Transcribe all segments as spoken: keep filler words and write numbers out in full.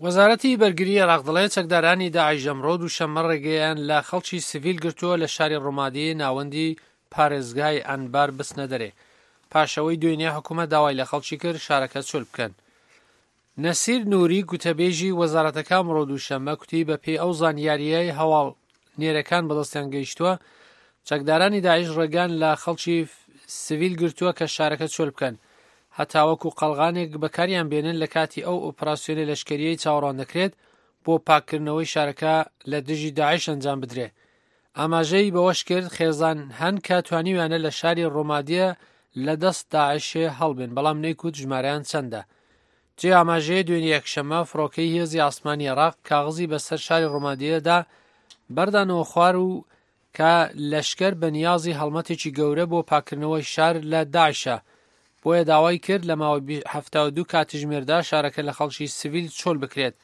وەزارەتی بەرگری عێراق دەڵێت چەکدارانی داعش ئەمڕۆ دووشەممە ڕێگەیان لە خەڵکی سڤیل گرتووە لە شاری ڕومادی ناوەندی پارێزگای ئەنبار بچنە دەرێ، پاشەوەی دوێنێ حکوومەت داوای لە خەڵکی کرد شارەکە چۆل بکەن. نەسیر نووری گوتەبێژی وەزارەتەکە ئەمڕۆ دووشەممە کوتی بەپێی ئەو زانیارییەی هەواڵ نێرەکان بەدەستیان گەیشتووە، چەکدارانی داعش ڕێگان لە خەڵکی سڤیل گرتووە کە شارەکە چۆل بکەن، هەتاوەکو قەڵغانێک بەکاریان بێنن لە کاتی ئەو ئۆپراسیۆنی لەشکریەی چاوەڕوان دەکرێت بۆ پاککردنەوەی شارەکە لە دژی داعش ئەنجام بدرێ. ئاماژەی بەوەش کرد خێزان هەن کە توانیویانە لە شاری ڕۆمادیە لە دەست داعشێ هەڵبێن، بەڵام نەیکوت ژمارەیان چەندە. جێ ئاماژەیە دوێنێ یەکشەممە فڕۆکەی هێزی ئاسمانی عێراق کاغزی بەسەر شاری ڕۆمادیەدا بەردانەوە خوار و کە لەشکر بە نیازی هەڵمەتێکی گەورە بۆ پاکردنەوەی شار لە داعشە، بۆیە داوای کرد لە ماوەی حەفتا و دوو کاتژمێردا شارەکە لە خەڵکی سڤیل چۆل بکرێت.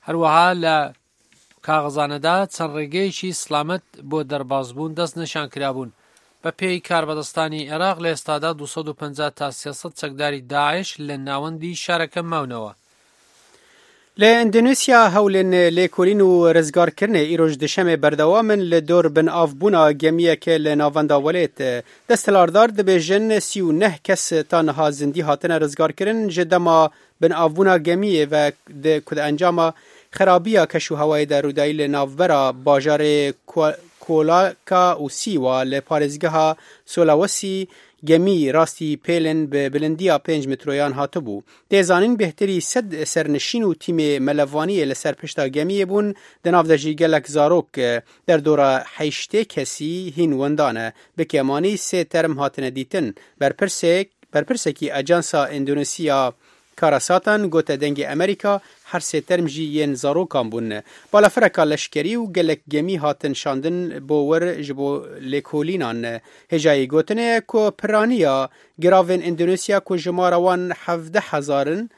هەروەها لە کاغەزانەدا چەند ڕێگەیەکی سلامەت بۆ دەربازبوون دەست نشان کرابوون. بە پێی کاربەدەستانی عێراق لە ئێستادا دوو سەد و پەنجا تا سێ سەد چەکداری داعش لە ناوەندی شارەکە ماونەوە. لە ئەندۆنیسیا هەولێن لێکۆلین و ڕزگارکردنێ ئیرۆژ دشەمێ بەردەوامن لە دۆر بن ئاوبوونا گەمیەکە لە ناوەندا وڵێت. دەستەلاردار دەبێژن سی و نەه کەس تا نەها زندی هاتنە ڕزگارکردن ji دەما بن ئاوبوونا گەمیە و کود ئەنجاما خرابیە کەش و هەوای دەرودایی لە ناوبەرا باژارێ کۆلاکا و سیوا لە پارێزگەها سۆلاوەسی گەمی ڕاستی پێلن بە بلندیا پێنج مترۆیان هاتبوو. تێزانین بهتری سەد سەرنشین و تیمێ مەلەوانیە لەسەر پشتا گەمیە بوون دەناو دەژی گەلک زارۆک دەردۆرە حەیشتێ کەسی هین وەندانە بکێمانی سێ تەرم هاتنە دیتن. بەرپرسێک بەرپرسێکی ئەجانسا ئەندۆنیسیا کارەساتان گوتە دەنگی ئەمریکا هەر سێ تەرم ژی yên zarokan bûn. Balafireka leşkerî û gelek gemî hatin şandin bo wir ji bo lêkolînan. Hêjayê gotinê ye ku piraniya giravên Endonezya ku jimara wan hevdeh hezar in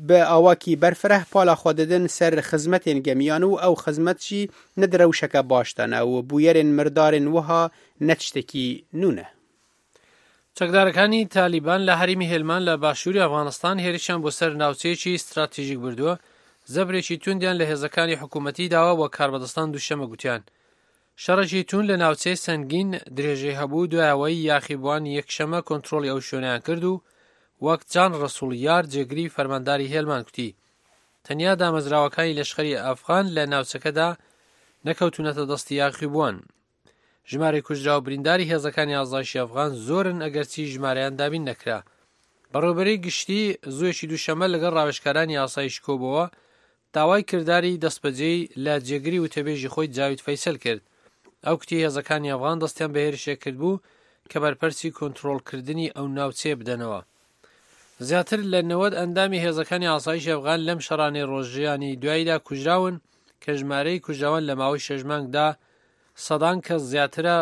bi awakî berfireh pala xwe didin ser xizmetên gemiyan û ew xizmet jî ne di rewşeke baş de ne û bûyerên mirdarên wiha ne tiştekî nû ne. چەکدارەکانی تالیبان لە هەرێمی هێلمان لە باشووری ئەفغانستان هێرشیان بۆ سەر ناوچەیەکی ستراتیژیک بردووە، زەبرێکی توندیان لە هێزەکانی حکوومەتی داوە وە کاربەدەستان دووشەمە گوتیان. شەڕێکی توند لە ناوچەی سەنگین درێژەی هەبوو دوایەوەی یاخیبووان یەکشەمە کۆنترۆڵی ئەو شوێنیان کرد و وەک جان ڕەسوڵیار جێگری فەرمانداری هێلمان گوتی تەنیا دامەزراوەکانی لەشکری ئەفغان لە ناوچەکەدا نەکەوتونەتە دەستی یاخیبووان. ژمارەی کوژرا و برینداری هێزەکانی ئازایشی ئەفغان زۆرن ئەگەرچی ژمارەیان دابین نەکرا. بەڕێوەبەری گشتی زوویەکی دووشەممە لەگەڵ ڕاوێژکارانی ئاسایش کۆبەوە داوای کرداری دەستبەجێی لە جێگری وتەبێژی خۆی جاوید فەیسەل کرد. ئەو کوتی هێزەکانی ئەفغان دەستیان بە هێرشێک کرد بوو کە بەرپەرسی کۆنترۆڵکردنی ئەو ناوچەیە بدەنەوە. زیاتر لە نەوەد ئەندامی هێزەکانی ئاسایشی ئەفغان لەم شەڕانەی ڕۆژیانی دواییدا کوژراون کە ژمارەی کوژراوان لە ماوەی شەش مانگدا سەدان کەس زیاترە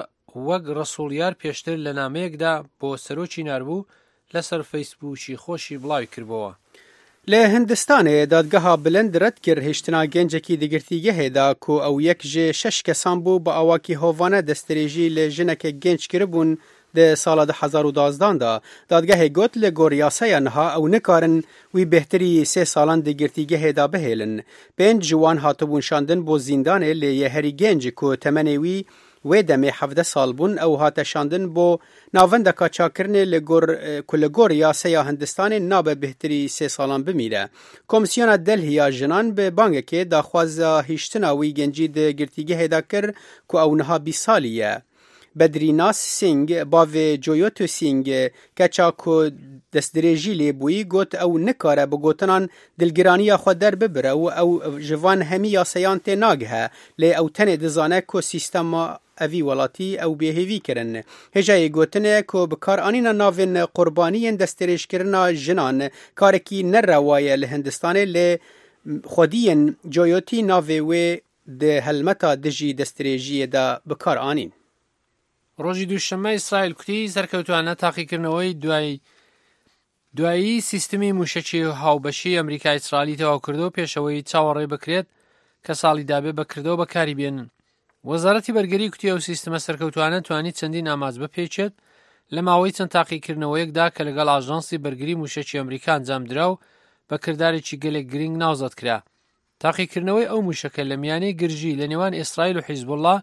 وەک ڕەسوڵیار پێشتر لە نامەیەکدا بۆ سەرۆکی ناربوو لەسەر فەیسبووکی خۆشی بڵاوی کردبەوە. لە هندستانێ دادگەها بلند ڕەت کرد هێشتنا گەنجێکی دەگرتیگەهێدا کو ئەو یەک ژێ شەش کەسان بوو بە ئاواکی هۆڤانە دەستدرێژی لە ژنێکە گەنج کردبوون di sala du hezar û duازدان da. Dadgehê got li gor yasaya niha ew nikarin wî bêhtirî sê salan di girtîgehê da bihêlin. Pênc ji wan hatibûn şandin bo zîndanê lê yê herî genc ku temenê wî wê demê hevdeh sal bûn ew hate şandin bo navendeka çakirinê li gor ku li gor yaseya Hindistanê nabe bêhtirî sê salan bimîne. Komîsyona Delhî ya jinan bi bangekê daxwaza hiştina wî gencî di girtîgehê de kir ku ew niha bîst salî ye. Bedrînas Singh bavê Coyoto Singh keça ku destdirêjî lê bûyî got ew nikare bi gotinan dilgiraniya xwe derbibire û ew ji van hemî yaseyan tê nagihe lê ew tenê dizane ku sîstema evî welatî ew bêhêvî kirin. Hêjayê gotinê ku bi karanîna navên qurbaniyên destdirêjkirina jinan karekî nerewa ye li Hindistanê lê xwediyên Coyotî navê wê di helmeta dijî destdirêjiyê de bi kar anîn. ڕۆژی دووشەممە ئیسرائیل کوتی سەرکەوتوانە تاقیکردنەوەی دوای دوایی سیستمی موشەکی هاوبەشی ئەمریکا ئیسرائیلی تەواو کردەوە پێشەوەی چاوەڕێ بکرێت کە ساڵی دابێ بەکردەوە بەکاری بێنن. وەزارەتی بەرگری کوتی ئەو سیستمە سەرکەوتوانە توانی چەندین ئامانج بپێچێت لە ماوەی چەند تاقیکردنەوەیەکدا کە لەگەڵ ئاژانسی بەرگری موشەکی ئەمریکا ئەنجام درا و بە کردارێکی گەلێک گرنگ ناوزەد کرا. تاقیکردنەوەی ئەو موشەکە لە میانەی گرژی لە نێوان ئیسرائیل و حیزبوڵڵا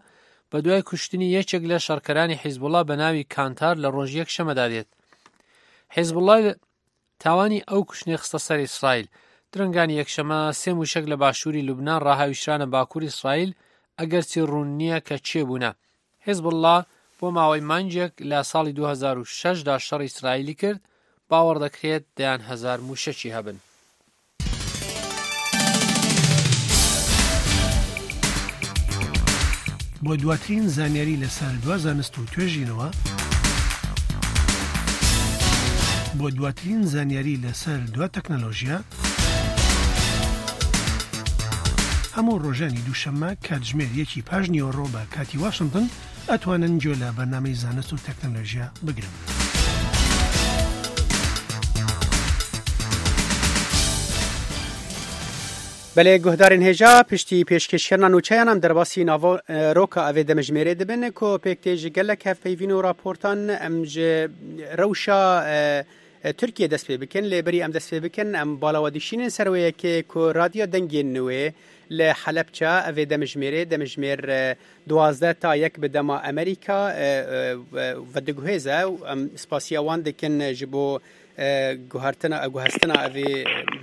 بە دوای کوشتنی یەکێک لە شەڕکەرانی حیزبوڵڵا بە ناوی کانتار لە ڕۆژی یەکشەممەدا دێت. حیزبوڵڵا تاوانی ئەو کوشتنەی خستە سەر ئیسرائیل. درەنگانی یەکشەمە سێ موشەک لە باشووری لوبنان ڕاهاویشرانە باکووری ئیسرائیل، ئەگەرچی ڕوون نییە کە چێ بوونە. حیزبوڵڵا بۆ ماوەی مانگێک لە ساڵی دوو هەزار و شەش دا شەڕی ئیسرائیلی کرد، باوەڕ دەکرێت دەیان هەزار موشەکی هەبن. بۆ دواترین زانیاری لەسەر دوا زانست و توێژینەوە، بۆ دواترین زانیاری لەسەر دوا تەکنەلۆژیا، هەموو ڕۆژانی دووشەممە کاتژمێر یەکی پاش نیوەڕۆ بە کاتی واشنگتن ئەتوانن گوێ لە بەرنامەی زانست و تەکنەلۆژیا بگرن. بەلێ گوهدارên hêja piştî pêşkêşkirina nûçeyan em derbasî nava roka evê demjimêrê dibin ku pêk tê ji gelek hevpeyvîn û raportan em ji rewşa Tirkiye dest pê bikin. Lê berî em dest pê bikin em bala we dişînin ser wê yekê ku radyo dengên nû li Helepçe evê demjimêrê demjimêr duwazdeh ta yek bi dema Amerîka vediguhêze û em spasiya wan dikin ji bo guhertina guhestina evê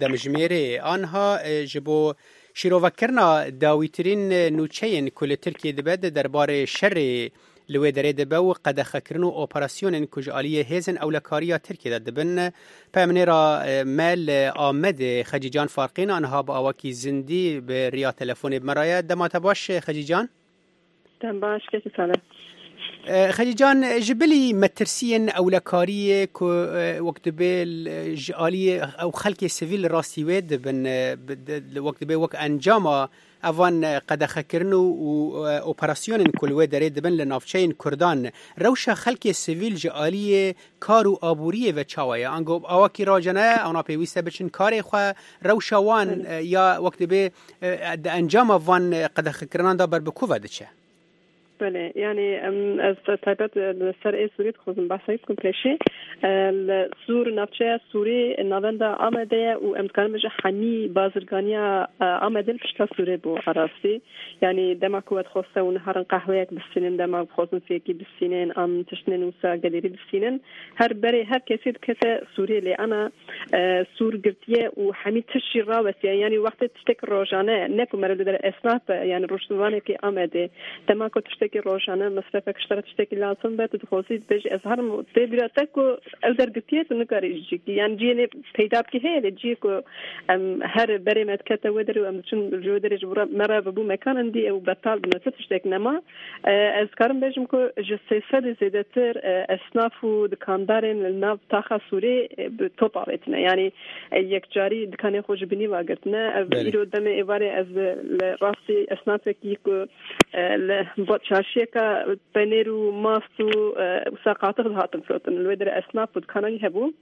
demjimêrê anha ji bo şîrovekirina dawîtirîn nûçeyên ku li Tirkiye dibe di derbarê şerê li wê derê dibe û qedexekirin û operasyonên ku ji aliyê hêzên ewlekariya Tirkiye de dibin. Peyamnêra me li Amedê Xecîcan Farqîn anha bi awakî zindî bi riya telefonê bi me re ye. Dema te baş Xecîcan? Dem baş kekî sale. Xecîcan, ji bilî metirsiyên ewlekariyê ku wek dibe ji aliyê ew xelkê sivîl rastî wê dibin, wek dibe wek encama evan qedexekirin û operasyonên ku li wê derê dibin li navçeyên Kurdan, rewşa xelkê sivîl ji aliyê kar û aboriyê ve çawa ye? Ango awakî rajane ewna pêwîst e biçin karê xwe, rewşa wan ya wek dibe di encama van qedexekirinan da ber bi ku ve diçe? بله، یعنی ez taybet li ser ê Sûrî dixwazim behsa bikim pêşî. Li Sûr navçeya Sûrî navenda Amedê ye û em dikarin bêjin hemî bazirganiya Amedê li pişta Sûrê bû rastî. Yani dema ku we dixwaste hûn herin qehweyek bistînin, dema bixwazin fêkî bistînin an tiştên wisa gelêrî bistînin, her berê her kesî dikete Sûrê lê ana Sûr girtiye û hemî tişt jî rawestiye. Yani wextê tiştek rojane ne ku meriv li der esnaf be, yani rojnamevanekî Amedê dema ku tiştek rojane mesrefek ji te re tiştekî lazim be, tu dixwazî dibêjî ez herim tê bîra te ku ew dergirtiye tu nikarî ji cîkî, yani ciyê lê peyda bikî heye lê ciyê ku em her berê me dikete wê derê û em diçin ji wê derê ji bo me re vebû mekan indî ew betal bûne, tu tiştek nema. Ez dikarim bêjim ku ji sê sedê zêdetir esnaf û dikandarên li nav taxa Sûrê bi top avêtine, yani yekcarî dikanê xwe ji binî ve girtine. Ev îro demê êvarê ez li rastî esnafekî ku li çarşiyeka penêr û mast û wisa qatix dihatin firotin, li wê derê esnaf û dikana wî hebû.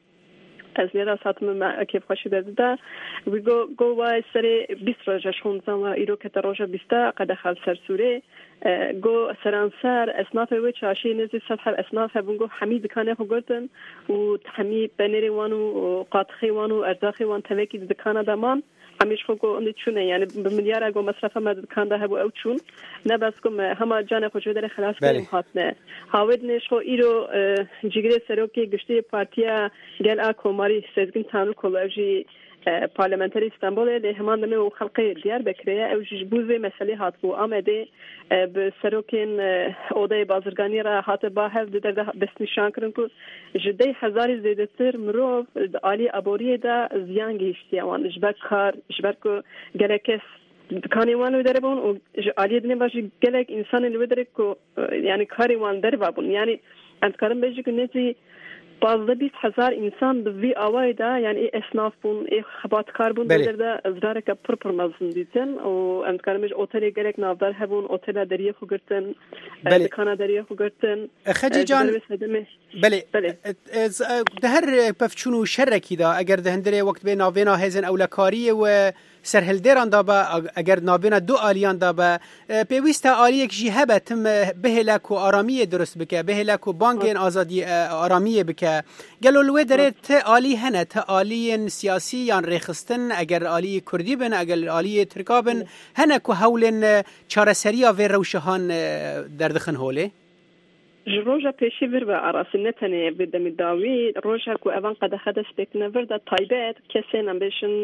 Ez lê rast hatim me kêfxweşî de dida. Wî got got way serê bîst roja ji xwe dizan wa îro kete roja bîsta qedexe li ser Sûrê. Got seranser esnafê wê çarşiyê nêzî sed heb esnaf hebûn, got hemî dikanê xwe girtin û hemî penêrê wan û qatixê wan û erzaqê wan tevekî di dikana de man. Hemî ji xwe got indî çûne, yani bi milyara got mesrefa me di dikan de hebû ew çûn. Ne bes ku me hema canê xwe ji wê derê xelas kirin hatine. Hawê dinê ji xwe îro cîgirê serokê giştî Partiya Gel a Komarî Sezgin Tanrıkulu ew jî parlamenterê Stenbolê lê heman demê û xelkê Diyarbekirê ye, ew jî ji bo vê meselê hatibû Amedê bi serokên odeyê bazirganiyê re hate ba hev di der de destnîşan kirin ku ji dey hezarî zêdetir mirov di aliyê aboriyê de ziyan gihîştiye wan ji ber kar, ji ber ku gelek kes dikanê wan li wê derê bûn û ji aliyê dinê ve jî gelek însanên li wê derê ku yani karê wan derve bûn. Yani em dikarin bêjin ku nêzî pazdeh bîst hezar însan bi vî awayê de, yani ê esnaf bûn, ê xebatkar bûn, Belê. der de zirareke pir pir mezin dîtin û em dikarin bêjin otelê gelek navdar hebûn, otela deriyê xwe girtin, Belê. dikana deriyê xwe girtin. Xecî Ji ber can, wê sedemê belê. Belê. Di her pevçûn û şerekî de eger di hindirê wek dibe navêna hêzên ewlekariyê û سەرهەڵدێران دا بە، ئەگەر نابێنە دوو ئالیان دا بە، پێویستە ئالیەک ژی هەبە تم بهێلە کو ئارامیە درست بکە، بهێلە کو بانگێن ئازادی ئارامیە بکە. گەلۆ لەوێ دەرێ ت ئالی هەنە، ت ئالیên سیاسی یان ڕێخستن، ئەگەر ئالی کوردی بن، ئەگەر ئالی ترکا بن، هەنە کو هەولên چارەسەریya vê rewşehan derdixin holê؟ Ji roja pêşî vir ve arasî ne tenê bi demê dawî, roja ku evan qedexe dest pê kirine vir de taybet kesên em bêjin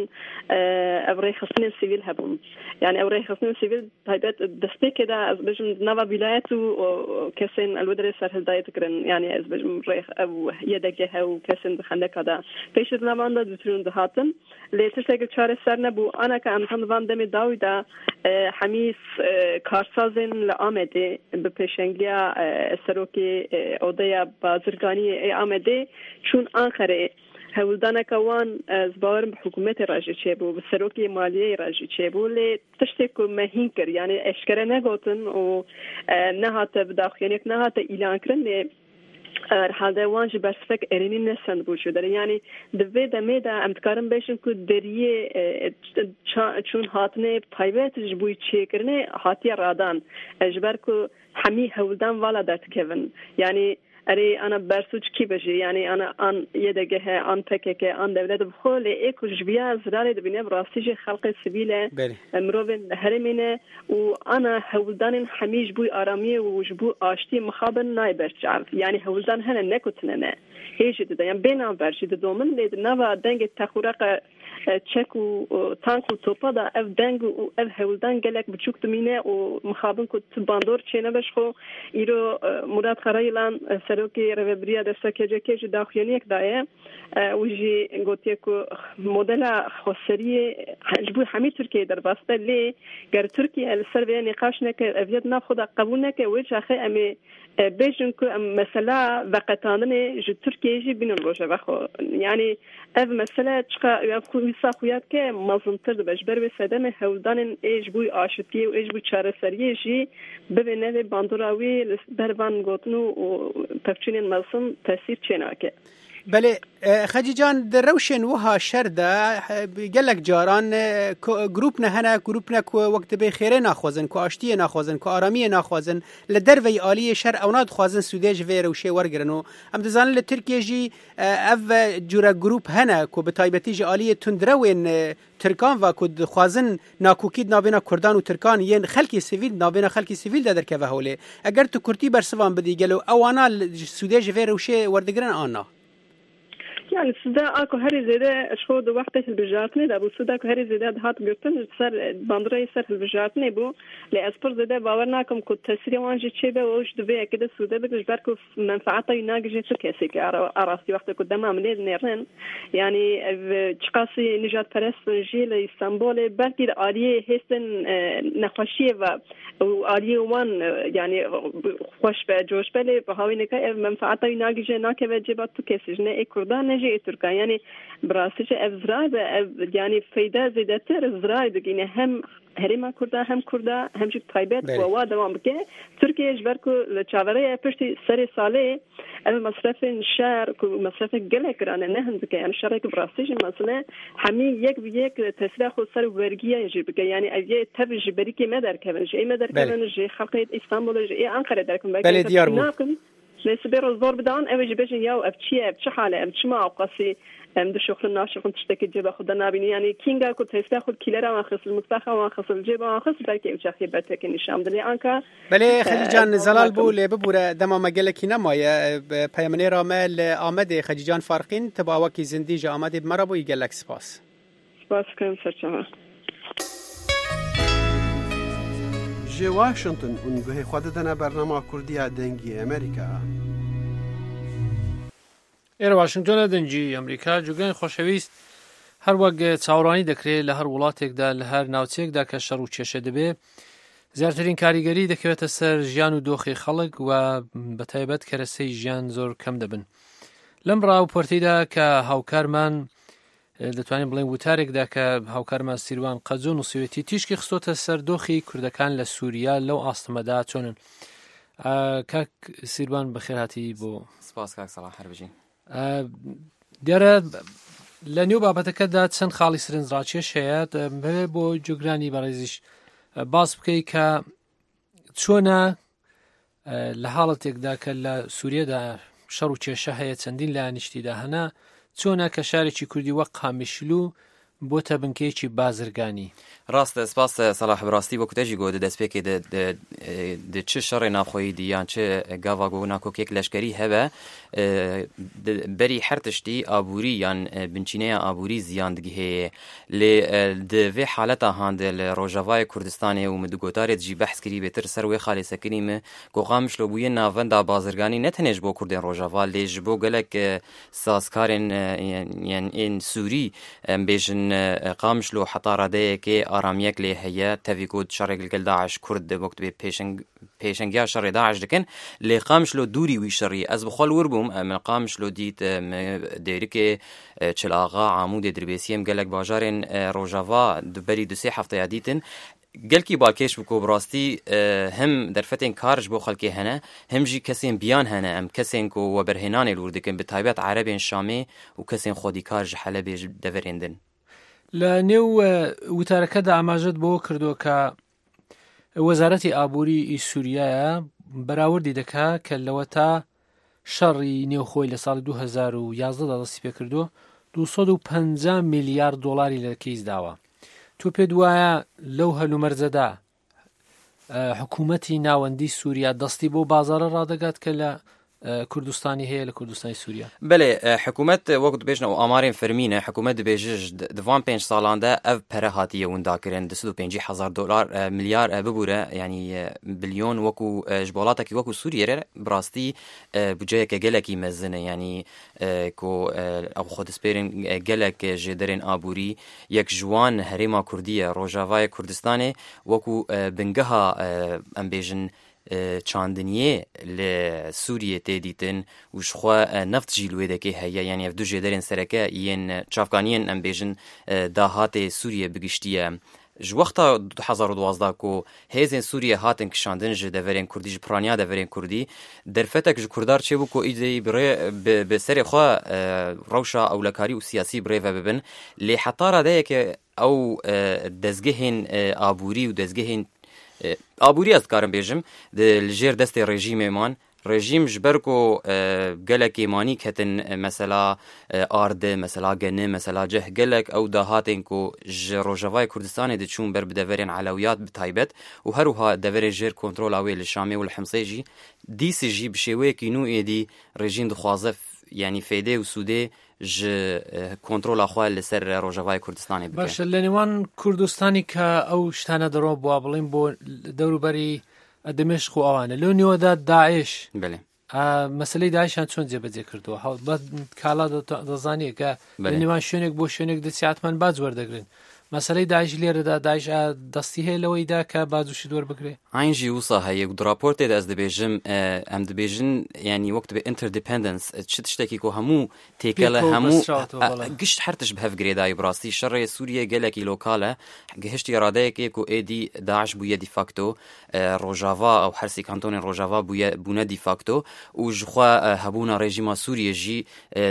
ev rêxistinên sivîl hebûn. Yani ew rêxistinên sivîl taybet destpêkê de ez bêjim nava vilayet û kesên li derê serhildayê dikirin. Yani ez bêjim rêx ew yedekê hew kesên di xendeka de pêşî di navan de diçûn dihatin. Lê tiştekî çareser nebû. Anaka em tam van demê dawî de hemî karsazên li Amedê bi pêşengiya serok odeya bazirganiyê ê Amedê çûn Anqerê. Hewldaneka wan ez bawerim bi hikûmetê re jî çêbû, bi serokê maliyeyê re jî çêbû, lê tiştê ku me hîn kir, yani eşkere negotin û nehate bi daxuyaniyek nehate îlankirin, lê herhalde wan ji bersivek erênî nesendbû ji derê. Yani di vê demê de em dikarin bêjin ku deriyê çûn hatinê taybet ji bo çêkirinê hatiye radan. Ji ber ku hemî hewldan vala derdikevin. Yani erê ana bersûc kî be jî, yani ana an Y D G H, an P K K, an dewlet bi xwe, lê ê ku ji viya zirarê dibîne bi rastî jî xelqê sivîl e, mirovên herêmê ne û ana hewldanên hemî ji bo aramiyê û ji bo aştiyê mixabin nayê berçav. Yani hewldan hene ne ku tune ne. Hê jî dide, yani bê navber jî didomin, lê di nava dengê texûreqa çek û tank û topa da ev deng û ev hewldan gelek biçûk dimîne û mixabin ku tu bandor çênebe ji xwe. Îro Murat Karayilan serokê rêveberiya desta K C K jî daxuyaniyek daye û jî gotiye ku modela xweseriyê ji bo hemî Tirkiyeyê derbas be, lê ger Tirkiye li ser vê nîqaş neke, ev yek nav xwe de qebûl neke, wê çaxê em ê bêjin ku em mesela veqetandinê ji Tirkiyeyê jî bînin rojeva xwe. Yani ev mesele çiqa ev wisa xuya dike mezintir dibe. Ji ber wê sedemê hewldanên ê ji bo aşitiyê û ê ji bo çareseriyê jî bibe nevê bandora wî li ber van gotin û pevçûnên mezin tesîr çênake. Belê Xecîcan, di rewşên wiha şer de gelek caran grûp ne hene, grûp ne ku wek dibê xêrê naxwazin, ku aştiyê naxwazin, ku aramiyê naxwazin, li derveyî aliyê şer ewna dixwazin sûdê ji vê rewşê wergirin û em dizanin li Tirkiyê jî ev cure grûp hene ku bi taybetî ji aliyê tundrewên Tirkan ve ku dixwazin nakokî di navbêna Kurdan û Tirkan yên xelkê sivîl di navbêna xelkê sivîl de derkeve holê. Eger tu kurtî bersivan bidî, gelo ewana sûdê ji vê rewşê werdigirin an na? Yani suda ako herî zêde ji xwe di wextê hilbijartinê de bû, suda ku herî zêde dihat girtin ji ser bandorayê ser hilbijartinê bû, lê ez pir zêde bawer nakim ku tesîrê wan jî çêbe û ji di vê yekê de sûde bikin, ji ber ku menfaeta wî nagihîje tu kesekê arastî wextê ku dema min lê dinêrin. Yani ev çiqasî nijadperest jî li İstanbulê belkî li aliyê hêstên nexweşiyê ve û aliyê wan yani xweş be, coş be, lê bi hawî neke ev menfaeta wî nagihîje nakeve cêba tu kesî, ji ne ê Kurdan ne jî Türkan. Yani brasî ev zirar be, ev yani feyde zêdetir zirar digîne hem herêma Kurda hem Kurda hem jî taybet ku wa dewam bike. Tirkiye ji ber ku li çaverêye piştî serê salê ev mesrefên şer ku mesrefek gelek giran e, ne hindik e, yani şerek bi rastî jî mezin e, hemî yek bi yek tesîra xwe ser wergiye jî bike. Yani ev yê tev ji berîkê me derkevin, ji ê me derkevin, ji xelkê İstanbulê, ji ê Enqerê derkevin. Belê diyar bû. Lê sibê roz zor bidan ew jî bêjin ya ev çi ye, ev çi hal e, em çima ewqasî em dişoxlin naşoxlin tiştekî cêba xwe de nabînin. Yani kînga ku tesîra xwe kîlera wan xist, mutfaxa wan xist, cêba wan xist, belkî ew çaxê bertekê nîşan bidin. Lê anka Belê Xecîcan zelal bû, lê bibûre dema me gelekî nemaye. Peyamnêra me li Amedê Xecîcan Farqîn tu bi awakî zindî ji Amedê bi me re bûyî, gelek spas. Spas dikim serçava. Ji Washington hûn guhê xwe didine bernama Kurdiya Dengê Amerîka. ئێرە واشنگتۆنە دەنگی ئەمریکا. جوگەی خۆشەویست، هەر وەک چاوەڕوانی دەکرێت لە هەر وڵاتێکدا لە هەر ناوچەیەکدا کە شەڕ و کێشە دەبێ، زیاترین کاریگەری دەکەوێتە سەر ژیان و دۆخی خەڵک و بەتایبەت کەرەسەی ژیان زۆر کەم دەبن. لەم ڕاوپۆرتیدا کە هاوکارمان دەتوانین بڵێن وتارێکدا کە هاوکارمان سیروان قەجۆ نووسیوێتی تیشکی خستۆتە سەر دۆخی کوردەکان لە سووریا لەو ئاستەمەدا چۆنن. کاک سیروان بەخێرهاتی بۆ. سپاس کاک سەڵاح، هەر بژین. دیارە لە نێو بابەتەکەدا چەند خاڵی سەرنجڕاکێش هەیە، دەمەوێت بۆ جوگرانی بەڕێزیش باس بکەی کە چۆنە لە حاڵەتێکدا کە لە سووریەدا شەڕ و کێشە هەیە، چەندین لایەنیشتیدا هەنا، چۆنە کە شارێکی کوردی وەک قامیشلو بۆتە بنکەیەکی بازرگانی؟ ڕاستە، سپاس سەلاح. بڕاستی وەکو تەژی گۆ دەستپێکێ د چ شەڕێ ناوخۆیی دی یان چ گاوا گۆ ناکۆکێک لەشکەری هەبە، بەری هەر تشتی ئابووری یان بنچینەیە ئابووری زیان دگهەیە. لێ di vê حالەتا هاندە لە ڕۆژاوای کوردستانێ و مدگۆتارێت جی بەحس کری بێتر سەر وێ خاڵێ سەکنی me ku Qamişlo bûye navenda bazirganî ne tenê ji bo Kurdên Rojava lê ji bo gelek sazkarên ên Sûrî em bêjin Qamişlo heta radeyekê ئارامیەک لێ هەیە، تەوی گوت شەڕێک لەگەڵ داعش کورد وەک دەبێ پێشەنگیا شەڕێ داعش دەکەن، لێ قامیشلۆ دووری وی شەڕی. ئەس بخۆ ور بووم، من قامیشلۆ دیت دێرکێ چلاغا عامودێ دربێسیەم gelek bajarên Rojava berî du sê hefteya dîtin. Gelkî balkêş bû ku bi rastî him derfetên kar ji bo xelkê hene, him jî kesên biyan hene, em kesên ku weberhênanê li wir dikin, bi taybet Erebên Şamê û kesên xwedîkar ji Helebê ji deverên din. لە نێو وتارەکەدا ئاماژەت بۆ کردووە کە وەزارەتی ئابووری سووریایە بەراوردی دەکا کە لەوە تا شەڕی نێوخۆی لە ساڵی دوو هەزار و یازدەدا دەستی پێکردووە دوو سەد و پەنجا میلیارد دۆلاری لە کەیس داوە. تۆ پێت وایە لەو هەلومەرجەدا حکوومەتی ناوەندی سووریا دەستی بۆ بازارە ڕادەگات کە لە کوردستانی هەیە لە کوردستانی سووریا؟ بەێ، حکوومەت وەک دەبێژن ئەو ئامارên فەرمینە، حکوومەت دەبێژ دوان پێنج ساڵاندا ئەv پەرە هاتیە ونداکردن دوو سەد و پەنجی هەزار دۆلار ملیار ببوورە، یعنی بلیۆن وەکو ji وڵاتێکی وەکو سووریە بڕاستی بودجەیەکە gelekî mezin e، یعنی ku ew xwe dispêrin gelek jêderên aborî. Yek ji wan herêma Kurdî ye, Rojavayê Kurdistanê وەکو bingeha em bêjin çandiniyê li Sûriyê tê dîtin û ji xwe neft jî li wê dekê heye, yani ev du jêderên sereke yên çavkaniyên em bêjin dahatê Sûriyê bigiştiye. Ji wexta du hezar û duwazdeh ku hêzên Sûriyê hatin kişandin ji deverên Kurdî, ji piraniya deverên Kurdî, derfetek ji Kurdar çêbû ku îdeyî bi serê xwe rewşa ewlekarî û siyasî birêve bibin. Lê heta radeyeke ew dezgehên aborî û dezgehên aborî ez dikarim bêjim li jêr destê rejîmê man. Rejîm ji ber ku gelek êmanî ketin mesela arde, mesela gene, mesela ceh, gelek ew dahatên ku ji Rojavayê Kurdistanê diçûn ber bi deverên Elewiyat bi taybet û her wiha deverên jêr kontrola wê li Şamê û li Himsê jî dîsê jî bi şêweyekî nû êdî rejîm dixwaze yani fêdê û sûdê ji kontrola xwe li ser Rojavayê Kurdistanê bike. باشە، لە نێوان کوردستانی کە ئەو شتانە دەڕۆ بووە بڵین بۆ دەوروبەری دمشق و ئەوانە، لەو نێوەدا داعش، بەڵێ مەسلەی داعشیان چۆن جێبەجێ کردووە؟ کاڵا دەزانیە کە لە نێوان شوێنێک بۆ شوێنێک دەچی باج وەردەگرن. مەسلەی داعش لێرەدا داعش دەستی هەیە لەوەیدا کە باج و شت وەربگرێ؟ ئاین ژی وسا هەیە و راپۆرتێ ez dibêjim em dibêjin yani wek dibe interdependence çi tiştekî ku hemû têkele hemû gişt her tişt bi hev girêdayî. Bi rastî şerê Sûriye gelekî lokal e, gihiştiye radeyekê ku êdî Daeş bûye defakto Rojava ew hersî kantonên Rojava bûye bûne defakto û ji xwe hebûna rejîma Sûriye jî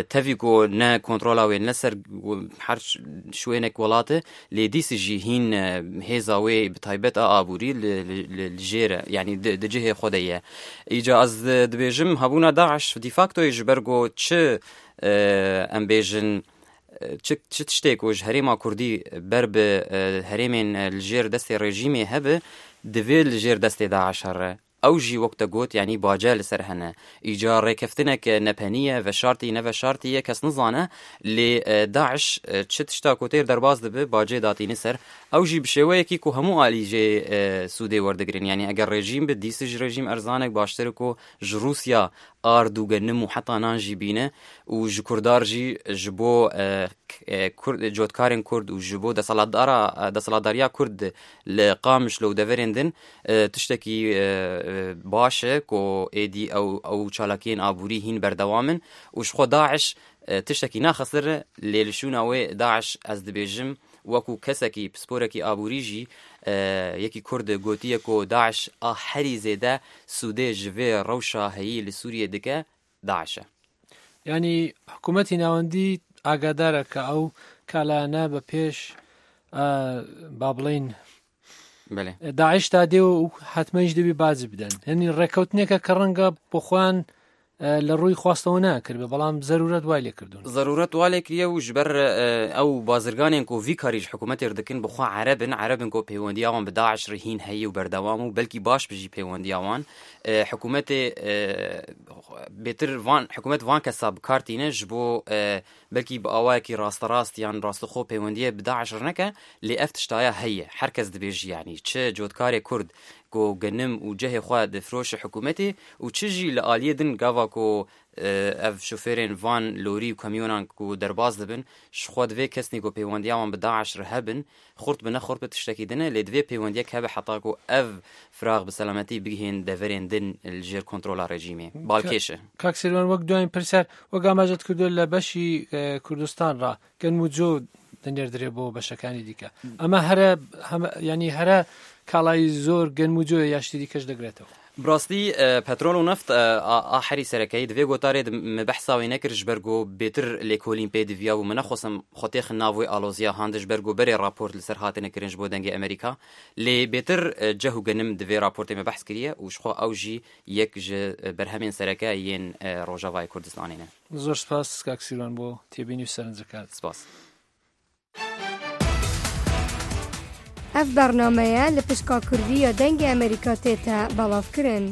tevî ku ne kontrola wê ne ser her şwênek welat e, lê dîsê jî hîn hêza wê bi taybet a aborî li jêr e, yani di cihê xwe de ye. Îca ez dibêjim hebûna Daeş defaktoyê ji ber ku çi em bêjin çi çi tiştê ku ji herêma Kurdî ber bi herêmên li jêr destê rejîmê hebe, divê li jêr destê Daeş here. Ew jî wek te got yani bace li ser hene. Îca rêkeftinek nepeniye, veşartî neveşartiye kes nizane, lê Daeş çi tişta ku têr derbas dibe bacê datîne ser. Ew jî bi şêweyekî ku hemû alî jê sûdê werdigirin. Yani eger rejîm bi dîsê ji rejîm erzanek baştir ku ji Rûsya ard û genim û heta nan jî bîne û ji Kurdar jî ji bo cotkarên Kurd û ji bo deselatdariya Kurd li Qamişlo û deverên din tiştekî baş e ku êdî ew ew çalakiyên aborî hîn berdewam in û ji xwe Daeş tiştekî naxesir e, lê li şûna wê Daeş ez dibêjim وەکو کەسێکی پسپۆرێکی ئابووری ژی یەکی کورد گوتیە ku Daeş a herî zêde sûdê ji vê rewşa heyî li Sûriyê dike Daeş e. یعنی حکوومەتی ناوەندی ئاگادارە کە ئەو کالایانە بە پێش با بڵین داعشتا دێ و حتممەش دەبی باج بدەن. هەنی ڕێکەوتنێکە کە ڕەنگە بۆ خۆیان لە ڕووی خواستەوە ناکرد بێ، بەڵام زەرورەت وای لێکردوون. زەرورەت وا لێکریە و ژبەر ئەو بازرگانێن کو ڤی کاریش حکوومەتێ دکن بخوا عەرەبن، عەرەبن کو پەیوەندیاوان بە داعش ڕهین هەیە و بەردەوام و بەلکی باش بژی پەیوەندیاوان حکوومەتێ بێتر وان حکوومەت وان کەسا بکارتینە ji bo belkî bi awayekî rasterast yan rastixwe peywendiyê bi Daeş re neke, lê ev tiştaya heye. Her kes dibêje yanî çi cotkarê Kurd ku genim û cehê xwe difiroşe hikûmetê û çi jî li aliyê din gava ku ev şofêrên van lorî û kamyonan ku derbas dibin ji xwe divê kesnî ku peywendiya wan bi Daeş re hebin, xurt bi ne xurt bi tiştekî din e, lê divê peywendiyek hebe heta ku ev firax bi selametî bigihên deverên din li jêr kontrola rejîmê. Balkêş e. کاک سیروان وەک دوایین پرسیار وەک ئاماژەت کردووە لە بەشی کوردستان ڕا گەنم و جۆ دەنێردرێ بۆ بەشەکانی دیکە، ئەمە هەرە ینی هەرە کاڵای زۆر گەنم و جۆیە یا شتی دیکەش دەگرێتەوە؟ براستی پترۆل و نەفت ئاحری سەرەکەی divê gotarê me behsa wê nekir ji ber ku bêtir lêkolîn pê diviya û me nexwestim xwe têxin nav wê aloziya han ji ber ku berê raport li ser hatine kirin ji bo dengê Amerîka, lê bêtir ceh û genim divê raportê me behs kiriye û ji xwe ew jî yek ji berhemên sereke yên Rojavayê Kurdistanê ne. زۆر سپاس کاک سیروان بۆ تێبینی و سەرنجەکانت. سپاس. ئەف بەرنامەیە لە پشکا کوردی یا دەنگی ئەمریکا تێتە بەڵاوکردن.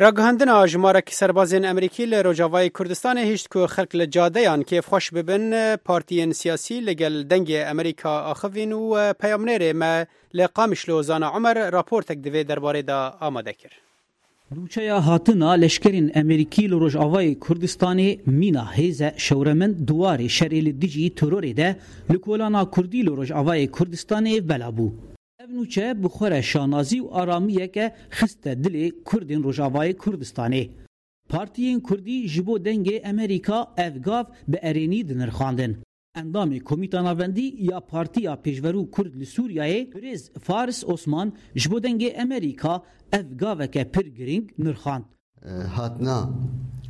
راگەهاندنا ژمارەکی سەربازên Amerîkî li Rojavayê Kurdistanê hişt ku xelk li cadeyan kêfxweş bibin, partiyên siyasî li gel dengê Amerîka axivîn û peyamnêrê me li Qamişlo Zana Umer raportek divê derbarê de amade kir. Nûçeya hatina leşkerên Amerîkî li Rojavayê Kurdistanê mîna hêza şewremin duwarê şerê li dijî terorê de li kolana Kurdî li Rojavayê Kurdistanê bela bû. Ev nûçe bi xwe re şanazî û aramiyeke xiste dilê Kurdên Rojavayê Kurdistanê. Partiyên Kurdî ji bo dengê Amerîka ev gav bi erênî dinirxandin. Endamê Komîta Navendî ya Partiya Pêşverû Kurd li Sûriyeyê Birêz Faris Osman ji bo dengê Amerîka ev gaveke pir girîng nirxand. Hatina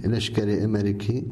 leşkerê Amerîkî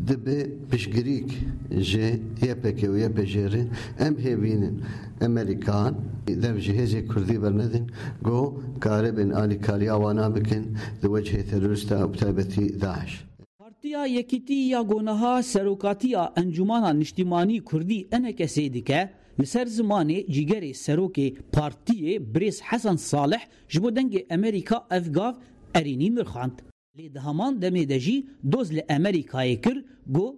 dibe piştgirîk ji Y P G û Y P G re em hêvînin Amerîkan dev ji hêzê Kurdî bernedin got karibin alîkariya wana bikin di wecihê terorîsta bi taybetî Daeş. Partiya Yekîtî ya Gonaha Serokatiya Encumana Niştîmanî Kurdî E N K S dike li ser zimanê cîgerê serokê partiyê Birêz Hesen Salih ji bo dengê Amerîka ev gav erênî nirxand. Lê di heman demê de jî doz li Amerîkayê kir got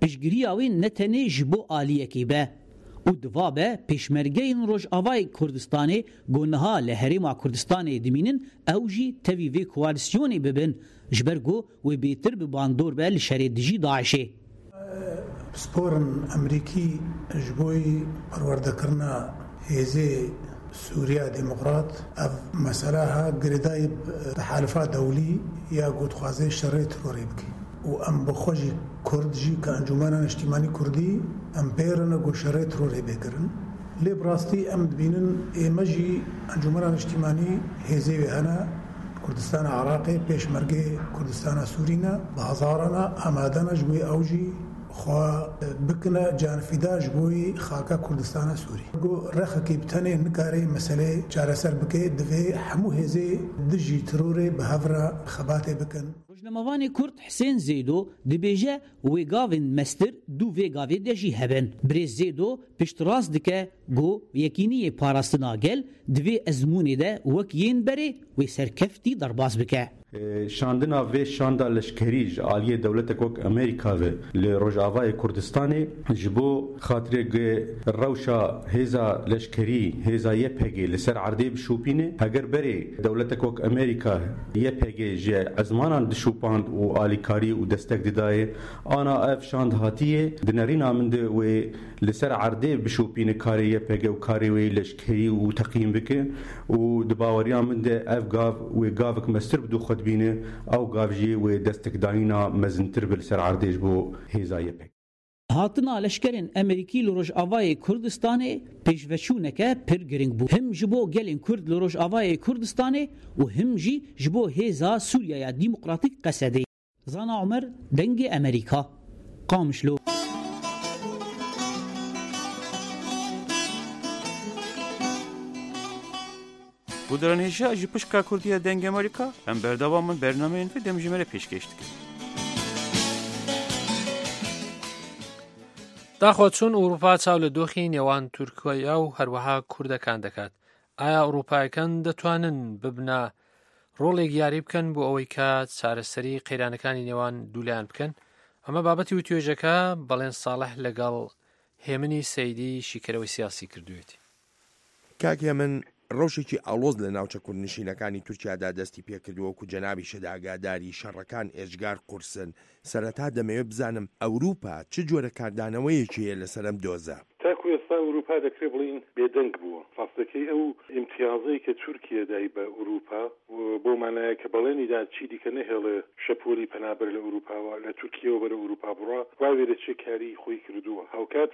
piştgiriya wê ne tenê ji bo aliyekê be û diva be pêşmergeyên Rojavayê Kurdistanê gonaha li Herêma Kurdistanê dimînin ew jî tevî vê koalîsyonê bibin ji ber ku wê bêtir bi bandor be li şerê dijî Daişê. Pisporên Amerîkî ji bo perwerdekirina hêzê Sûriya Demokrat ev meseleha girêdayî tehalifa dewlî ya ku dixwaze şerê terorê bike û em bi xwe jî Kurd jî ke Encumena Niştîmanî Kurdî em pêrine ku şerê terorê bê kirin. Lê bi rastî em dibînin ême jî Encumena Niştîmanî hêzê wê hene Kurdistana Iraqê pêşmergê Kurdistana Sûrî ne bi hezarana amade ne ji bo ew jî xwe bikine canfîda ji bo xaka Kurdistana Sûrî. Got rexekî bi tenê nikare meselê çareser bike divê hemû hêzê dijî terorê bi hev re xebatê bikin. Rojnamevanê Kurd Husên Zêdo dibêje wê gavên mestir dû vê gavê de jî hebin. Birêz Zêdo piştrast dike got yekîniyê parastina gel divê ezmûnê de wek yên berê wê serkeftî derbas bike. Şandina vê şanda leşkerî ji aliyê dewletek wek Amerîka ve li Rojavayê Kurdistanê ji bo xatirê rewşa hêza leşkerî hêza Y P G li ser erdê bişopîne, heger berê dewletek wek Amerîka Y P G ji ezmanan dişopand û alîkarî û destek didayê, ana ev şand hatiye di nerîna min de wê li ser erdê bişopîne karê Y P G û karê wê leşkerî û teqîm bike û di baweriya min de ev gav wê gavek mestir bi dû xwe dibîne, ew gav jî wê destekdayîna mezintir bi li ser erdê ji bo hêza Y P G. Hatina leşkerên Amerîkî li Rojavayê Kurdistanê pêşveçûneke pir giring bû. Him ji bo gelên Kurd li Rojavayê Kurdistanê û him jî ji bo hêza Sûriyeya Demokratîk Qesedê. Zana Umer, Dengê Amerîka. Qamişlo. Guhdarên hêja ji pişka Kurdî ya Dengê Amerîka em berdewam in bernameyên vê demjimêrê pêşkêş dikin. داخۆ چۆن ئەوروپا چاو لە دۆخی نێوان تورکیا و هەروەها کوردەکان دەکات؟ ئایا ئەوروپایەکان دەتوانن ببنە ڕۆڵێک یاری بکەن بۆ ئەوەی کە چارەسەری قەیرانەکانی نێوان دوولایان بکەن؟ ئەمە بابەتی وتوێژەکە بەڵێن ساڵح لەگەڵ هێمنی سەیدی شیکەرەوەی سیاسی کردوێتی. کاک هێمن، ڕەوشێکی ئاڵۆز لە ناوچە کوردنشینەکانی تورکیادا دەستی پێکردووە وەکو جەنابیشت ئاگاداری شەڕەکان ئێجگار قورسن. سەرەتا دەمەوێت بزانم ئەوروپا چ جۆرە کاردانەوەیەکی هەیە لەسەر ئەم دۆزە؟ تاکو ئێستا ئەوروپا دەکرێت بڵین بێدەنگ بووە. ڕاستەکەی ئەو ئیمتیازەی کە تورکیا دای بە ئەوروپا بۆ مانایە کە بەڵێنیدا چی دیکە نەهێڵێ شەپۆلی پەنابەر لە ئەوروپاوە لە تورکیاوە بەرە ئەوروپا بڕا، وا وێدەچێ کاری خۆی کردووە. هاوکات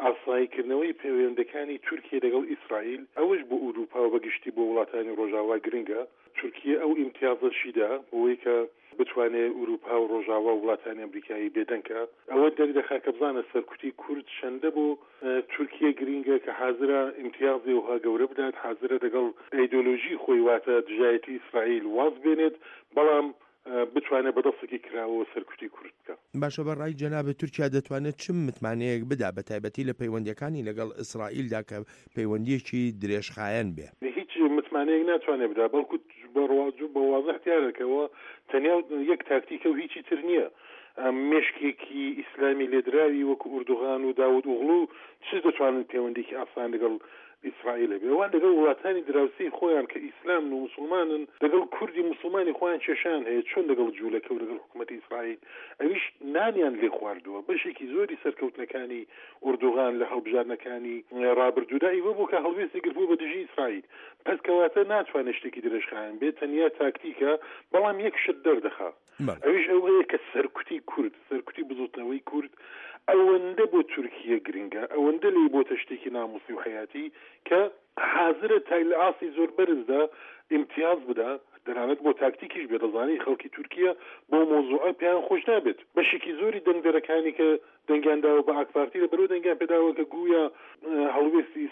ئاساییکردنەوەی پەیوەندەکانی تورکیا لەگەڵ ئیسرائیل ئەوەش بۆ ئەوروپا و بەگشتی بۆ وڵاتانی ڕۆژاوا گرنگە. تورکیا ئەو ئیمتیازەشیدا بۆی کە بتوانێت ئەوروپا و ڕۆژاوا و وڵاتانی ئەمریکایی بێدەنکە. ئەوە دەردەخا کە بزانە سەرکوتی کورد چەندە بۆ تورکیا گرینگە کە حاضرە ئیمتیازی وها گەورە بدات، حاضرە لەگەڵ ئایدۆلۆژی خۆی واتە دژایەتی ئیسرائیل واز بێنێت، بەڵام بتوانێت بەدەستێکی کراوە سەرکوتی کورد بکە. باشە، بە ڕای جەنابت تورکیا دەتوانێت چ متمانەیەک بدا بە تایبەتی لە پەیوەندیەکانی لەگەڵ ئیسرائیلدا کە پەیوەندیەکی درێژخایەن بێ؟ هیچ متمانەیەک ناتوانێت بدا، بەڵکو بە وازح دیارەکەوە تەنیا یەک تاکتیکە و هیچی تر نییە. مێشکێکی ئیسلامی لێدراوی وەکو ئوردوغان و داود ئۆغڵو چ دەتوانن پەیوەندێکی ئاسان لەگەڵ ئیسرائیل هەبێ؟ ئەوان لەگەڵ وڵاتانی دراوسێی خۆیان کە ئیسلامن و مسلمانن، لەگەڵ کوردی مسلمانی خۆیان کێشیان هەیە، چۆن لەگەڵ جوولەکە و لەگەڵ حکوومەتی ئیسرائیل؟ ئەویش نانیان لێ خواردووە. بەشێکی زۆری سەرکەوتنەکانی ئوردوغان لە هەڵبژاردنەکانی ڕابردوودا ئیوە بوو کە هەڵوێستی گرتبوو بە دژی ئیسرائیل. پس کەواتە ناتوانێت شتێکی درێژخایەن بێت، تەنیا تاکتیکە، بەڵام یەک شت دەردەخا، ئەویش ئەوەیە کە سەرکوتی کورد، سەرکوتی بزوتنەوەی کورد ئەوەندە بۆ تورکیا گرنگە، ئەوەندە لێی بۆتە شتێکی ناموسی و حیاتی کە حاضرە تا لە ئاستی زۆر بەرزدا ئیمتیاز بدا، دەنانەت بۆ تاکتیکیش بێ. دەزانی خەڵکی تورکیا بۆ مۆزوعە پێیان خۆش نابێت. بەشێکی زۆری دەنگدەرەکانی کە دەنگیان داوە بە ئاکپارتی لەبەرەوە دەنگیان پێداوە کە گویا هەڵوێستی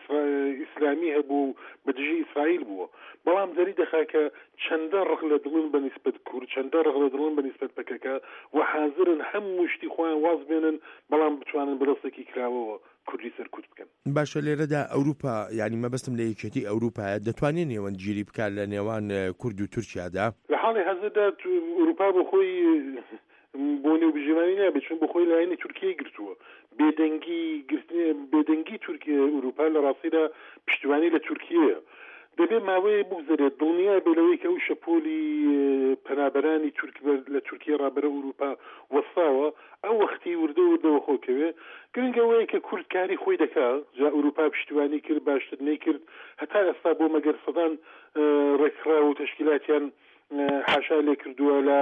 ئیسلامی هەبوو بە دژی ئیسرائیل بووە، بەڵام دەری دەخا کە چەندە ڕق لە دڵن بە نیسبەت کورد، چەندە ڕق لە دڵن بە نیسبەت پەکەکە و حاضرن هەموو شتی خۆیان واز بێنن، بەڵام بتوانن بەدەستێکی کراوەوە کوردی سەرکوت بکەن. باشە، لێرەدا ئەوروپا، یعنی مەبەستم لە یەکێتی ئەوروپایە، دەتوانێت نێوەندگیری بکات لە نێوان کورد و تورکیادا؟ لە حاڵی حەزردا ئەوروپا بۆ خۆی بۆ نێوبژیوانی نابێت، چون بۆ خۆی لایەنی تورکیای گرتووە. بێدەنگی بێدەنگی تورکیا ئەوروپا لە ڕاستیدا پشتیوانی لە تورکیەیە. دەبێت ماوەیە بگوزەرێت دڵنیا بێ لەوەی کە ئەو شەپۆلی پەنابەرانی لە تورکیا ڕابەرە ئەوروپا وەستاوە، ئەو وەختی وردە وردەوە خۆکەوێ. گرنگ ئەوەیە کە کورد کاری خۆی دەکا، جا ئەوروپا پشتیوانی کرد باشتر نەیکرد، هەتا ئێستا بۆ مەگەر سەدان ڕێکخراو و تەشکیلاتیان حاشا لێ کردووە لە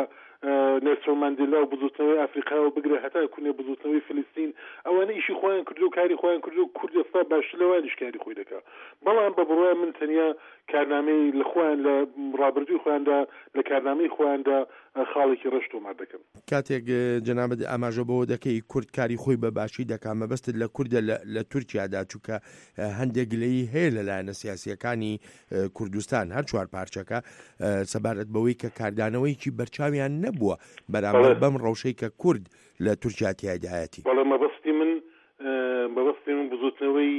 نێلسۆن ماندێلا و بزوتنەوەی ئەفریقا و بگرە هەتا کونێ بزوتنەوەی فلستین، ئەوانە ئیشی خۆیان کردو و کاری خۆیان کردو. کورد ئێستا باشتر لەوانیش کاری خۆی دەکا. بەڵام بە بڕوای من تەنیا کارنامەی لە خۆیان لە ڕابردووی خۆیاندا لە کارنامەی خۆیاندا خاڵێکی ڕەش تۆمار دەکەن. کاتێک جەنابت ئاماژە بەوە دەکەی کورد کاری خۆی بە باشی دەکا، مەبەستت لە کوردە لە تورکیادا، چونکە هەندێک گلەیی هەیە لە لایەنە سیاسیەکانی کوردستان هەر چوار پارچەکە سەبارەت بەوەی کە کاردانەوەیەکی بەرچاویان نەبووە بەرامبەر بەم ڕەوشەی کە کورد لە تورکیا تیایدایەتی. بەڵێ، مەبەستی من مەبەستی من بزوتنەوەی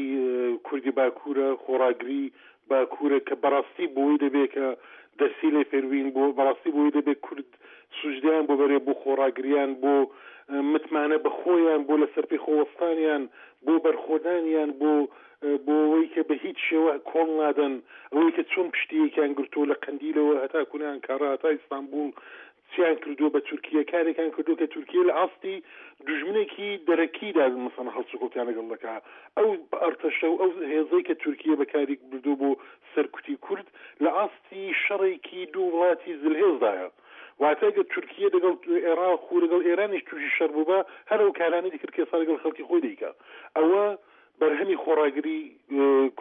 کوردی باکوورە، خۆڕاگری باکوورە کە بەڕاستی بۆی دەبێت کە دەرسی لێ فێروین، بۆ بەڕاستی بۆی دەبێت کورد سوژدیان بۆ بەرێ، بۆ خۆڕاگریان، بۆ متمانە بە خۆیان، بۆ لەسەر پێی خۆوەستانیان، بۆ بەرخۆدانیان، بۆ بۆ ئەوەی کە بە هیچ شێوە کۆڵ نادەن، ئەوەی کە چۆن پشتیەکیان گرتووە لە قەندیلەوە هەتا کونە ئەنکارا هەتا ئیستانبوڵ چیان کردووە بە تورکیە، کارێکیان کردووە کە تورکیە لە ئاستی دوژمنێکی دەرەکیدا مەسەڵەن هەڵسوکەوتیان لەگەڵ دەکا. ئەو ئەرتەشە و ئەو هێزەی کە تورکیە بەکاری بردووە بۆ سەرکوتی کورد لە ئاستی شەڕێکی دوو وڵاتی زلهێزدایە. واتە ئەگەر تورکیە لەگەڵ عێراق و لەگەڵ ئێرانیش تووشی شەڕ بووبا، هەر ئەو کارانەی دەکرد کە ئێستا لەگەڵ خەڵکی خۆی دەیکا. ئەوە بەرهەمی خۆڕاگری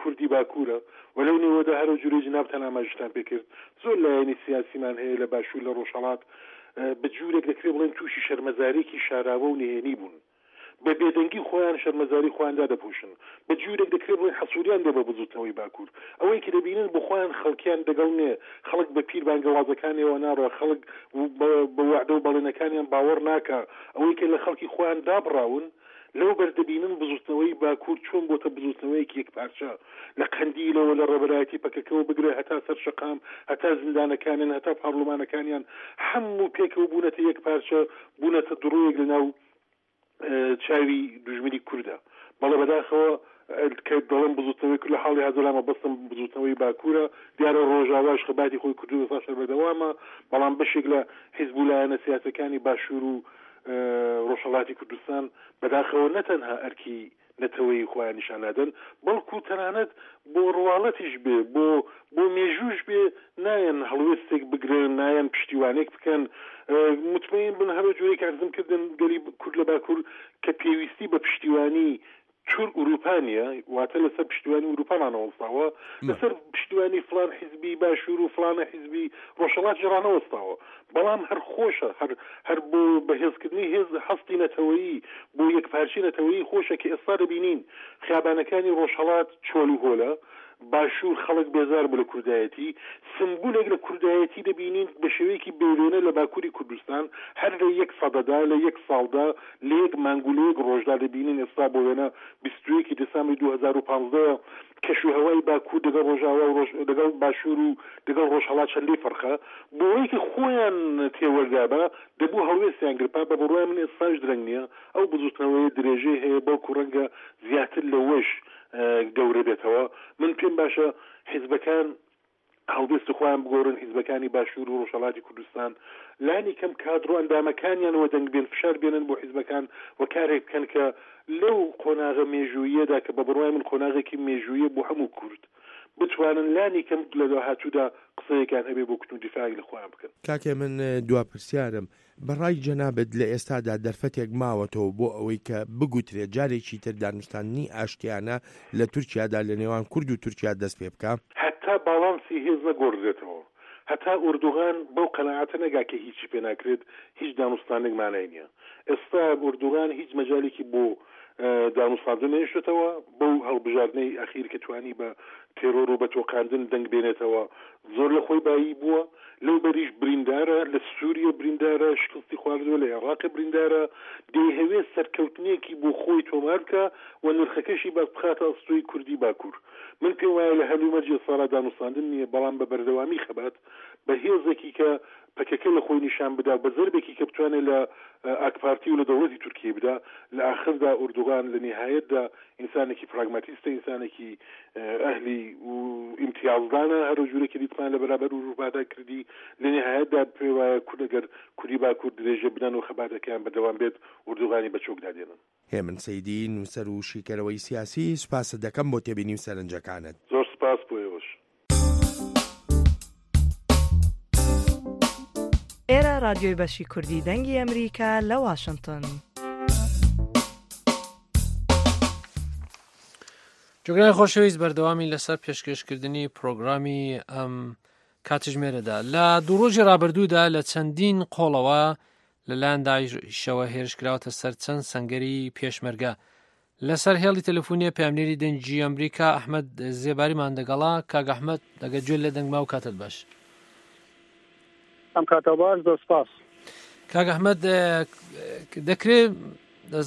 کوردی باکوورە و لەو نێوەدا هەرو جوورەی جنابتان ئاماژتان پێکرد زۆر لایەنی سیاسیمان هەیە لە باشوور لە ڕۆژهەڵات بە جوورێک دەکرێت بڵێن تووشی شەرمەزارێکی شاراوە و نهێنی بوون. بە بێدەنگی خۆیان شەرمەزاری خۆیان دادەپۆشن. بە جوورێک دەکرێت بڵێن حەسووریان دێ بە بزوتنەوەی باکوور. ئەوەی کە دەبینن بۆ خۆیان خەڵکیان دەگەڵ نێ، خەڵک بە پیر بانگەوازەکانیەوە ناڕۆ، خەڵک بە وعدە و بەڵێنەکانیان باوەڕ ناکا. ئەوەی کە لە خەڵکی خۆیان دابڕاون لەو بەردەبینن بزوتنەوەی باکوور چۆن بۆتە بزوتنەوەیەکی یەکپارچە، لە قەندیلەوە لە ڕێبەرایەتی پەکەکەوە بگرە هەتا سەر شەقام، هەتا زیندانەکانیان، هەتا پارلمانەکانیان، هەموو پێکەوە بوونەتە یەکپارچە، بوونەتە دڕۆیەک لەناو چاوی دوژمنی کوردە. بەڵێ بەداخەوە کە دەڵێم بزوتنەوەی کورد لە حاڵی حازرا مەبەستم بزوتنەوەی باکوورە. دیارە ڕۆژاواش خەباتی خۆی کردووە، ئێستا شەر بەردەوامە، بەڵام بەشێک لە حیزب و لایەنە سیاسەکانی باشوور و ڕۆژهەڵاتی کوردستان بەداخەوە نەتەنها ئەرکی نەتەوەی خۆیان نیشان نادەن، بەڵکو تەنانەت بۆ ڕواڵەتیش بێ، بۆ بۆ مێژووش بێ، نایەن هەڵوێستێک بگرن، نایەن پشتیوانێک بکەن. مطمئن بن هەرو جۆرێک عەرزم کردن گەلی کورد لە باکوور کە پێویستی بە پشتیوانی تور ئوروپا نییە، واتە لەسەر پشتیوانی ئوروپا ڕانەوەستاوە، لەسەر پشتیوانی فلان حیزبی باشوور و فلانە حیزبی ڕۆژهەڵاتی ڕانەوەستاوە، بەڵام هەر خۆشە، هەر هەر بۆ بەهێزکردنی هێز هەستی نەتەوەیی، بۆ یەکپارچەی نەتەوەیی خۆشە کە ئێستا دەبینین خیابانەکانی ڕۆژهەڵات چۆل و هۆلە، باشوور خەڵک بێزار بوو لە کوردایەتی، سمبولێک لە کوردایەتی دەبینین بە شێوەیەکی بێوێنە لە باکووری کوردستان، هەر لە یەک سەدەدا، لە یەک ساڵدا، لە یەک مانگ و لە یەک ڕۆژدا دەبینین ئێستا بۆ وێنە بیست و یەکی دێسامبری دوو هەزار و پازدە کەش و هەوای باکوور دەگەڵ ڕۆژاوا و دەگەڵ باشوور و دەگەڵ ڕۆژهەڵات چەندەی فەرقە. بۆ ئەوەی کە خۆیان تێوەردابا دەبوو هەڵوێستیان گرپا. بە بڕوای من ئێستاش درەنگ نییە، ئەو بزوتنەوەیە درێژەی هەیە، بەڵکو ڕەنگە زیاتر لەوەش گەورە بێتەوە. من پێم باشە حیزبەکان هەڵوێستی خۆیان بگۆڕن، حیزبەکانی باشوور و ڕۆژهەڵاتی کوردستان لانی کەم کادر و ئەندامەکانیانەوە دەنگ بێن، فشار بێنن بۆ حیزبەکان و کارێک بکەن کە لەو قۆناغە مێژوویەدا کە بە بڕوای من قۆناغێکی مێژوویە بۆ هەموو کورد، بتوانن لانی کەم لە داهاتوودا قسەیەکان هەبێ بۆ کوتن و دیفاعێک لە خۆیان بکەن. کاکێ من دوا پرسیارم، بەڕای جەنابت لە ئێستادا دەرفەتێک ماوەتەوە بۆ ئەوەی کە بگوترێت جارێکی تر دانوستاندنی ئاشتیانە لە تورکیادا لە نێوان کورد و تورکیا دەست پێ بکە؟ هەتا باڵانسی هێز نەگۆڕدرێتەوە، هەتا ئوردوغان بەو قەناعەتە نەگا کە هیچی پێ ناکرێت، هیچ دانوستانێک مانای نییە. ئێستا ئوردوغان هیچ مەجالێکی بۆ دانوستاندن نەهێشتێتەوە، بەو هەڵبژاردنەی ئەخیر کە توانی بە تێرۆر و بە تۆقاندن دەنگ بێنێتەوە زۆر لە خۆی بایی بووە. لەو بەریش بریندارە، لە سووریە بریندارە، شکستی خواردووە، لە عێراق بریندارە، دەیهەوێت سەرکەوتنێکی بۆ خۆی تۆمار بکە و نرخەکەشی باس بخاتە ئەستۆی کوردی باکوور. من پێم وایە لە هەلومەرجی ئێستادا دانوستاندن نییە، بەڵام بە بەردەوامی خەبات بە هێزێکی کە پەکەکە لە خۆی نیشان بدا، بە زەربێکی کە بتوانێت لە ئاکپارتی و لە دەوڵەتی تورکیە بدا، لە ئاخردا ئوردوغان لە نهایەتدا ئینسانێکی پراگماتیستە، ئینسانێکی ئەهلی و ئیمتیازدانە، هەرو جورێکی دیتمان لە بەرابەر ئوروپادا کردی. لە نهایەتدا پێ وایە کورد ئەگەر کوردی باکوور درێژە بدەن و خەباتەکەیان بەردەوام بێت، ئوردوغانی بە چۆکدا دێنن. هێمن سەیدی، نووسەر و شیکەرەوەی سیاسی، سوپاست دەکەم بۆ تێبینی و سەرنجەکانت. زۆر سپاس بۆ ئێوەش. ئێرە رادیۆی بەشی کوردی دەنگی ئەمریکا لە واشنگتن. جوگرای خۆشەویست، بەردەوامی لەسەر پێشکەشکردنی پرۆگرامی ئەم کاتژمێرەدا. لە دوو ڕۆژی ڕابردوودا لە چەندین قۆڵەوە لەلایەن داعشەوە هێرش کراوەتە سەر چەند سەنگەری پێشمەرگە. لەسەر هێڵی تەلەفۆنیە پەیامنێری دەنگی ئەمریکا ئەحمەد زێباریمان دەگەڵا. کاک ئەحمەد، دەگە گوێ لە دەنگما و کاتت باش. ئەم کاتە باش، زۆر سپاس. کاک ئەحمەد، دەکرێت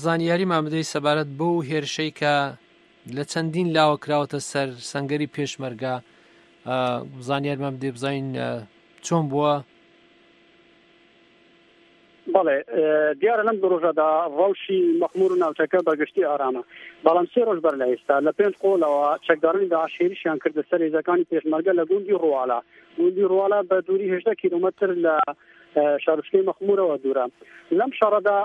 زانیاریمان بدەیت سەبارەت بەو هێرشەی کە لە چەندین لاوە کراوەتە سەر سەنگەری پێشمەرگە؟ زانیارمان بدەیت بزانین چۆن بووە؟ بەڵێ، دیارە لەم دوو ڕۆژەدا ڕەوشی مەخمور و ناوچەکە بەگشتی ئارامە، بەڵام سێ ڕۆژ بەر لە ئێستا لە پێنج قۆڵەوە چەکدارانی داعش هێرشیان کردە سەر هێزەکانی پێشمەرگە لە گوندی ڕواڵە. گوندی ڕواڵە بە دووری هەژدە کیلۆمەتر لە شارۆچکەی مەخمورەوە دوورە. لەم شەڕەدا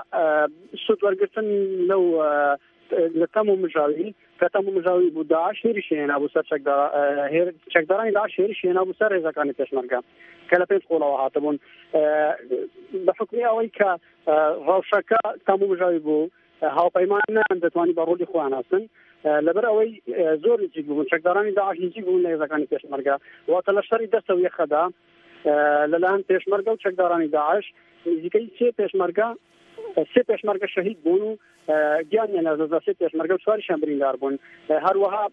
سوود وەرگرتن لەو لە تەم و مژاوی کە تەم و مژاوی بوو، داعش هێرشی هێنابوو سەر چەکدارانی داعش هێرشی هێنابوو سەر هێزەکانی پێشمەرگە کە لە پێنج قۆڵەوە هاتبوون. بە حوکمی ئەوەی کە ڕەوشەکە تەم و مژاوی بوو، هاوپەیمان نەیان دەتوانی بە ڕۆڵی خۆیان هەستن، لەبەر ئەوەی زۆر نزیک بوون، چەکدارانی داعش نزیک بوون لە هێزەکانی پێشمەرگە. واتە لە شەڕی دەستە و یەخەدا لەلایەن پێشمەرگە و چەکدارانی داعش نزیکەی سێ پێشمەرگە سێ پێشمەرگە شەهید بوون و گیانیان لەدەستدا، سێ پێشمەرگە و چواریشیان بریندار بوون. هەروەها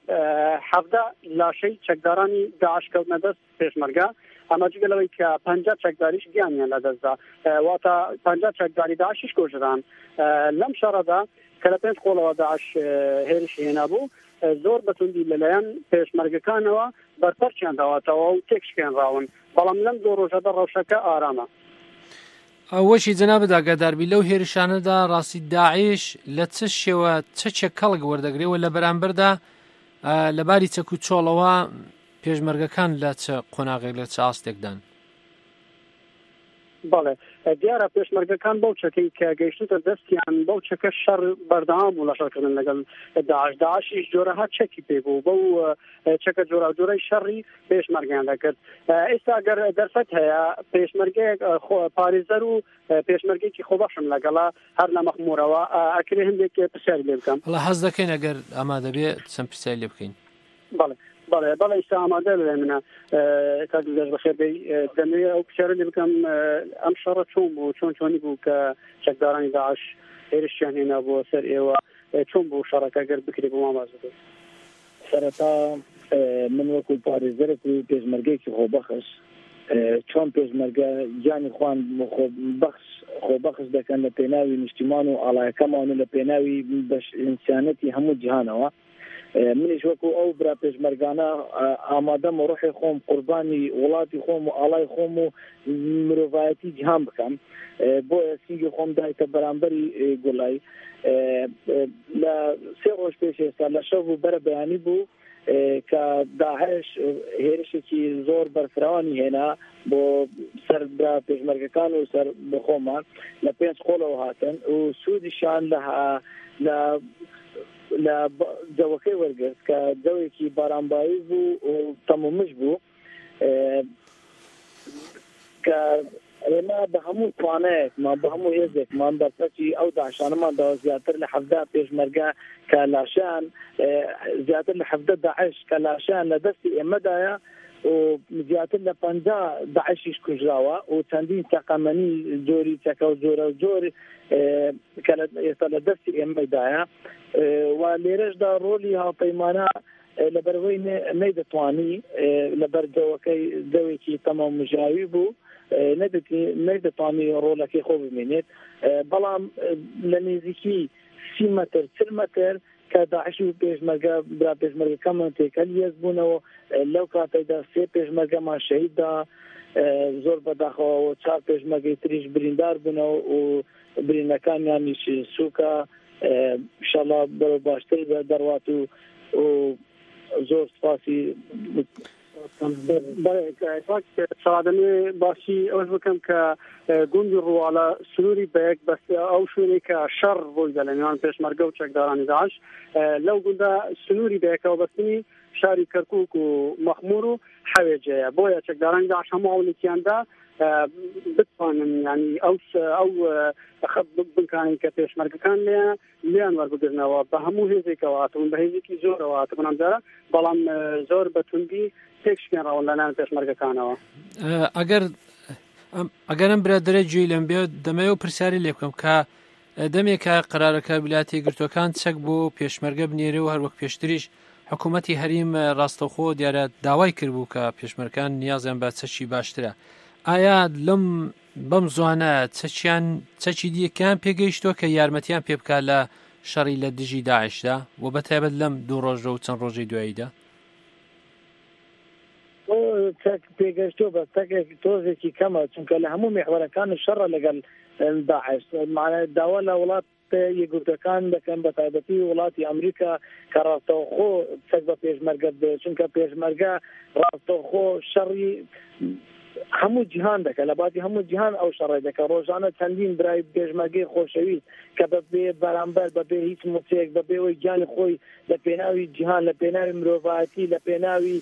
حەڤدە لاشەی چەکدارانی داعش کەوتنە دەست پێشمەرگە، ئەمە جگە لەوەی کە پەنجا چەکداریش گیانیان لەدەستدا، واتە پەنجا چەکداری داعشیش کوژران. لەم شەڕەدا کە لە پێنج قۆڵەوە داعش هێرشی هێنابوو، زۆر بەتوندی لەلایەن پێشمەرگەکانەوە بەرپەرچیان داوەتەوە و تێکشکێنراون، بەڵام لەم دوو ڕۆژەدا ڕەوشەکە ئارامە. ئەوەشی جەنابت ئاگاداربی لەو هێرشانەدا ڕاستی داعش لە چ شێوە چەکێک کەڵک وەردەگرێ و لە بەرامبەردا لەباری چەک و چۆڵەوە پێشمەرگەکان لە چ قۆناغێک لە چ ئاستێکدان؟ بەڵێ، دیارە پێشمەرگەکان بەو چەکەی کە گەیشتوتە دەستیان بەو چەکە شەڕ بەردەوام بوو لە شەڕکردن لەگەڵ داعش. داعشیش جۆرەها چەکی پێ بوو، بەو چەکە جۆراوجۆرەی شەڕی پێشمەرگەیان دەکرد. ئێستا ئەگەر دەرفەت هەیە پێشمەرگەیەک پارێزەر و پێشمەرگێکی خۆبەخشم لەگەڵا هەر لە مەخمورەوە، ئەکرێ هەندێک پرسیاری لێ بکەم؟ وەڵا حەز دەکەین ئەگەر ئامادە بێ چەند پرسیاری لێ بکەین. بەڵێ بەڵێ بەڵێ ئێستا ئامادە لە منە. کاک دڵگەش بەخێر بێی. دەمەوێت ئەو پرسیارە لێ بکەم، ئەم شەڕە چۆن بوو، چۆن چۆنی بوو کە چەکدارانی داعش هێرشیان هێنا بۆ سەر ئێوە، چۆن بوو شەڕەکە ئەگەر بکرێ بۆ ماماز بکەیت؟ سەرەتا من وەکو پارێزەرێک و پێشمەرگەیەکی خۆبەخش، چۆن پێشمەرگە گیانی خوان خۆبەخش خۆبەخش دەکەن لە پێناوی نیشتیمان و ئاڵایەکەمان و لە پێناوی بەش ئینسانەتی هەموو جیهانەوە، منیش وەکو ئەو برا پێشمەرگانە ئامادەم و ڕۆحی خۆم قوربانی وڵاتی خۆم و ئاڵای خۆم و مرۆڤایەتی جیهان بکەم. بۆیە سینگی خۆم دایتە بەرامبەری گوڵای. لە سێ ڕۆژ پێش ئێستا لە شەو و بەرە بەیانی بوو کە داعش هێرشێکی زۆر بەرفراوانی هێنا بۆ سەر برا پێشمەرگەکان و سەر بخۆمان لە پێنج قۆڵەوە هاتن و سوودیشان لە لە لە جەوەکەی وەرگرت کە جەوێکی بارانبایی بوو و تەمومژ بوو، کە ئێمە بە هەموو توانایەکمان بە هەموو هێزێکمان بەرپەرچی ئەو داعشانەمان داوە. زیاتر لە حەفدە پێشمەرگە کە لاشان، زیاتر لە حەفدە داعش کە لاشان لە دەستی ئێمەدایە و زیاتر لە پەنجا داعشیش کوژراوە و چەندین تەقەمەنی جۆری چەکە و جۆرە و جۆر کە ئێستا لە دەستی ئێمەدایە. و لێرەشدا ڕۆلی هاوپەیمانە لەبەرەوەی نەیدەتوانی لەبەر جەوەکەی جەوێکی تەمام مژاوی بوو، نەیدەتوانی ڕۆلەکەی خۆ بمێنێت. بەڵام لە نزیکی سی مەتر چل مەتر کە داعش و پێشمەرگە برا پێشمەرگەکەمان تێکەل یەک بوونەوە، لەو کاتەدا سێ پێشمەرگەمان شەهیددا زۆر بەداخەوە و چوار پێشمەرگەی تریش بریندار بوونەوە و برینەکانیانیش سووکە. ئینشاڵڵا بەرەو باشتر دەڕوات و زۆر سپاسی. سەڵادەمێ باسی ئەوەش بکەم کە گوندی ڕواڵە سنووری بە یەک بەس ئەو شوێنێک کە شەڕ ڕوویدا لە نێوان پێشمەرگە و چەکدارانی داعش، لەو گوندە سنووری بە یەکەوە بەستنی شاری کەرکووک و مەخمور و حەوێجەیە. بۆیە چەکدارانی داعش هەموو هەوڵێکیاندا بتوانن ینی ئەو ئەو بنکانەی کە پێشمەرگەکان لێیان لێیان وەربگرنەوە بە هەموو هێزێکەوە هاتبوون، بە هێزێکی زۆرەوە هاتبوون ئەمجارە، بەڵام زۆر بە توندی تێکشکێنراون لەلایەن پێشمەرگەکانەوە. ئەگەر ئەگەر ئەم برادەرە گوێی لەم بێ دەمەوێت پرسیاری لێ بکەم کە دەمێکە قەرارەکە ویلایەتە یەکگرتووەکان چەک بۆ پێشمەرگە بنێرێ و هەروەک پێشتریش حکوومەتی هەریم ڕاستەوخۆ دیارە داوای کردبوو کە پێشمەرگان نیازیان بە چەکی باشترە. ئایا لەم بەم زوانە چەکیان چەکی دیەکەیان پێگەیشتووە کە یارمەتیان پێ بکات لە شەڕی لە دژی داعشدا و بە تایبەت لەم دوو ڕۆژە و چەند ڕۆژەی دواییدا؟ چەک پێگەشتووە بەس تەکێک تۆزێکی کەمە، چونکە لە هەموو میحوەرەکان شەڕە لەگەڵ داعش. داوا لە وڵات یەکگرتووەکان دەکەن بە تایبەتی وڵاتی ئەمریکا کە ڕاستەوخۆ چەک بە پێشمەرگە بدێت، چونکە پێشمەرگە ڕاستەوخۆ شەڕی هەموو جیهان دەکە، لە باتی هەموو جیهان ئەو شەڕی دەکە. ڕۆژانە چەندین برای پێشمەرگەی خۆشەویست کە بەبێ بەرامبەر بەبێ هیچ موچەیەک بەبێ ئەوەی گیانی خۆی لە پێناوی جیهان لە پێناوی مرۆڤایەتی لە پێناوی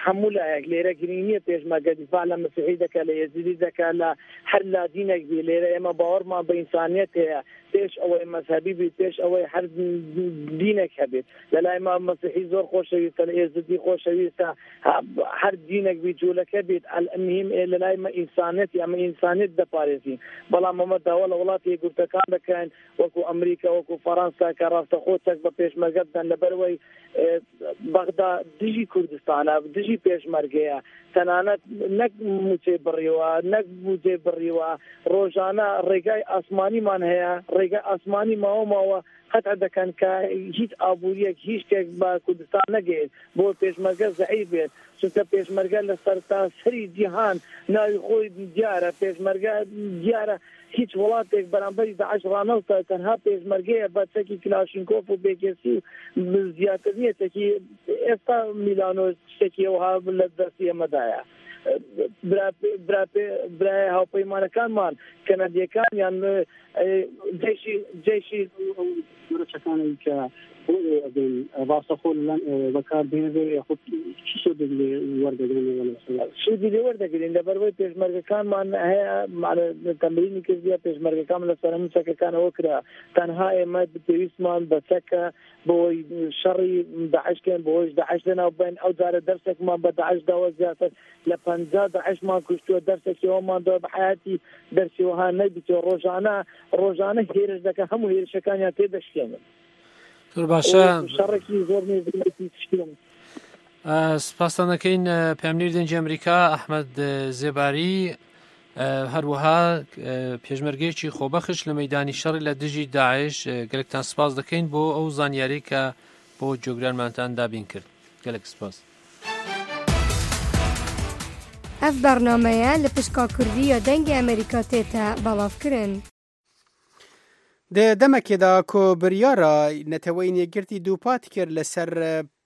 هەموو لایەک لێرە گرنگ نییە پێشمەرگە دیفاع لە مەسیحی دەکە لە یەزیدی دەکە لە هەر لادینێک بی. لێرە ئێمە باوەڕمان بە ئینسانیەت هەیە، پێش ئەوەی مەزهەبی بیت، پێش ئەوەی هەر دینێک هەبێت. لە لای ما مەسیحی زۆر خۆشەویستە، لە ئێزدی خۆشەویستە، هەر دینێک بیت، جوولەکە بیت، مهم لە لای مە ئینسانیەت ئەمە ئینسانیەت دەپارێزین. بەڵام ئەمە داوا لە وڵاتی یەکگرتووەکان دەکەین وەکو ئەمریکا وەکو فەرەنسا کە ڕاستەخۆ چەک بە پێشمەرگە بدەن، لەبەرەوەی بەغدا دژی کوردستانە، دژی پێشمەرگەیە، تەنانەت نەک موچەی بڕیوە نەک بودجەی بڕیوە، ڕۆژانە ڕێگای ئاسمانیمان هەیە، ڕێگای ئاسمانی ماوە ماوە قەتع دەکەن کە هیچ ئابووریەک هیچ شتێک بە کوردستان نەگەیت بۆ پێشمەرگە زەعیف بێت، چونکە پێشمەرگە لە سەرتاسەری جیهان ناوی خۆی دیارە، پێشمەرگە دیارە هیچ وڵاتێک بەرامبەری داعش ڕانەوەستە، تەنها پێشمەرگەیە بە چەکی کلاشینکۆف و بێکێسی و زیاتر نییە چەکی ئێستا میلانۆ شتێکی ئەوها لە دەستی ئێمەدایە. برای هاوپەیمانەکانمان کەنەدیەکان یان جەیشی جەیشی چەکانەی کە بۆ ئێوە بێن ڕاستەخۆ بەکار بهێنرێ یاخود چ سوودێک لێ وەردەگرن؟ سوودی لێ وەردەگرین لەبەرەوەی پێشمەرگەکانمان هەیە تەمرینی کردیە، پێشمەرگەکان لەسەر هەموو چەکەکانەوە کرا، تەنها ئێمە پێویستمان بە چەکە بۆی شەڕی داعشکەین، بۆیش داعش لەناو بین. ئەو جارە دەرسێکمان بە داعش داوە زیاتر لە پەنجا داعشمان کوشتووە، دەرسێکی ئەومان داوە بە حیاتی دەرسی وەها نەبیتەوە. ڕۆژانە ڕۆژانە هێرش دەکەن، هەموو هێرشەکانیان تێدەشکێنن. زۆر باشە، شەڕێکی زۆر نێزیکی شکێن. سپاستان دەکەین پەیامنێری دەنگی ئەمریکا ئەحمەد زێباری، هەروەها پێشمەرگەیەکی خۆبەخش لە مەیدانی شەڕی لە دژی داعش. گەلێکتان سپاس دەکەین بۆ ئەو زانیاری کە بۆ جۆگرانمانتان دابین کرد. گەلێک سپاس. ئەف بەرنامەیە لە پشکا کوردی یا دەنگی ئەمریکا تێتە بەڵاوکردن. د دەمەکێدا کۆ بریارە نەتەوەی یەکگرتوو دووپات کرد لەسەر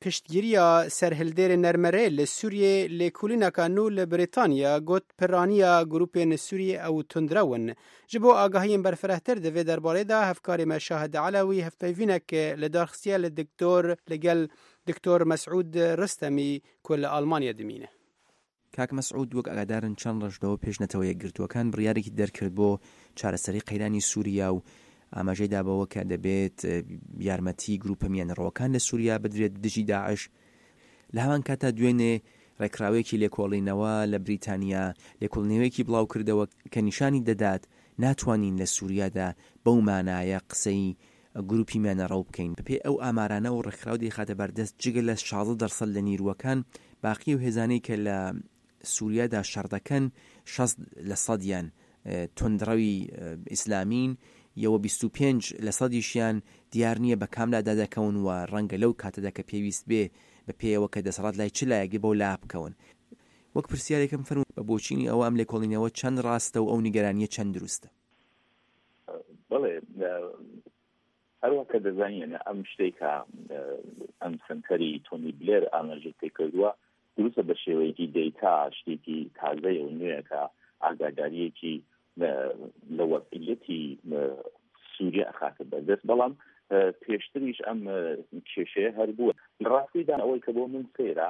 پشتگیریە سەرهەڵدێر نەرمەرێ لە سووریە لێکۆڵینەکە نوو لە بریتانیا گوت پرانیە گروپên سووریە ئەو تundرەون. ji bo agahiyên berfirehtir di vê derbarê de hevkarê me Şahid Elewî hevpeyvînek li darxistiye li diktor li gel دکتۆر مەسعود ڕستەمی ku li Almanya dimîne. کاک مەسعود، وەک ئاگادارن چەند ڕۆژ لەوە پێش نەتەوە یەکگرتووەکان بڕیارێکی دەرکرد بۆ چارەسەری قەیرانی سووریا و ئاماژەی دابەوە کە دەبێت یارمەتی گروپە میانڕەوەکان لە سووریا بدرێت دژی داعش. لە هەمان کاتا دوێنێ ڕێکخراوێکی لێکۆڵینەوە لە بریتانیا لێکۆڵینەوەیەکی بڵاو کردەوە کە نیشانی دەدات ناتوانین لە سووریادا بەو مانایە قسەی گروپی میانەڕەو بکەین. بەپێی ئەو ئامارانە و ڕێکخراو دەیخاتە بەردەست جگە لە شازدە دەرسەد لە نیروەکان، باقی و هێزانەی کە لە سووریادا شەڕ دەکەن شەست لە سەدیان توندڕەوی ئیسلامین، یەوە بیست و پێنج لە سەدیشیان دیار نییە بە کام لادا دەکەون و ڕەنگە لەو کاتەدا کە پێویست بێ بە پێیەوە کە دەسەڵات لای چ لایەک بێ بەو لا بکەون. وەک پرسیارێکم فەرموو بە بۆچینی ئەوە ئەم لێکۆڵینەوە چەند ڕاستە و ئەو نیگەرانیە چەند دروستە؟ بەڵێ، هەروە کە دەزانین ئەم شتێک کە ئەم سنتەری تۆنی بلێر ئاماژەی پێکردووە دروستە بە شێوەیەکی دەیتا، شتێکی تازەیە و نوێیە کە ئاگاداریەکی لە وەزعیەتی سووریا ئەخاتە بەردەست. بەڵام پێشتریش ئەم کێشەیە هەر بووە. لە ڕاستیدا ئەوەی کە بۆ من سەیرە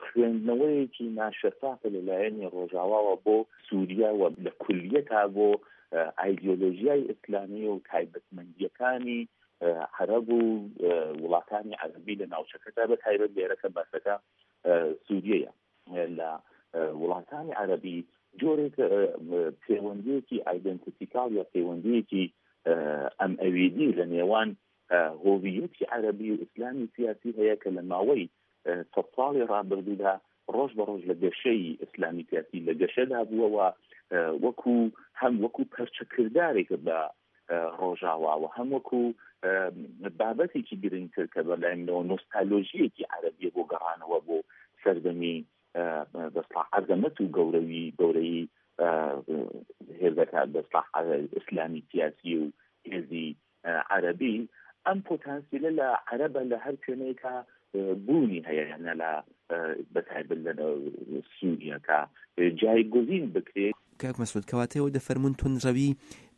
خوێندنەوەیەکی ناشەفافە لەلایەنی ڕۆژاواوە بۆ سووریا و لە کولیەتا بۆ ئایدیۆلۆژیای ئیسلامی و تایبەتمەندیەکانی عەرەب و وڵاتانی عەرەبی لە ناوچەکەدا، بە تایبەت لێرەکە باسەکە سووریەیە. لە وڵاتانی عەرەبی جۆرێک پەیوەندیەکی ئایدنتیتیکال یا پەیوەندیەکی ئەم ئەویدی لە نێوان هۆویەتی عەرەبی و ئیسلامی سیاسی هەیە کە لە ماوەی سەد ساڵی ڕابردوودا ڕۆژ بە ڕۆژ لە گەشەی ئیسلامی سیاسی لە گەشەدا بووە و وەکو هەم وەکو پەرچەکردارێک بە ڕۆژاواوە، هەم وەکو بابەتێکی گرنگتر کە بەلای منەوە نۆستالۆژیەکی عەرەبیە بۆ گەڕانەوە بۆ سەردەمی بەسڵاح عەزەمەت و گەورەوی گەورەی هێزەکە بەسڵاح ئیسلامی سیاسی و هێزی عەرەبی. ئەم پۆتانسیلە لە عەرەبە لە هەر کوێنەیەکە بوونی هەیە، یانە لە بەتایبەت لە سووریا کە جایگزین بکرێت. کاک مەسعود، کەواتەوە دەفەرموون توندڕەوی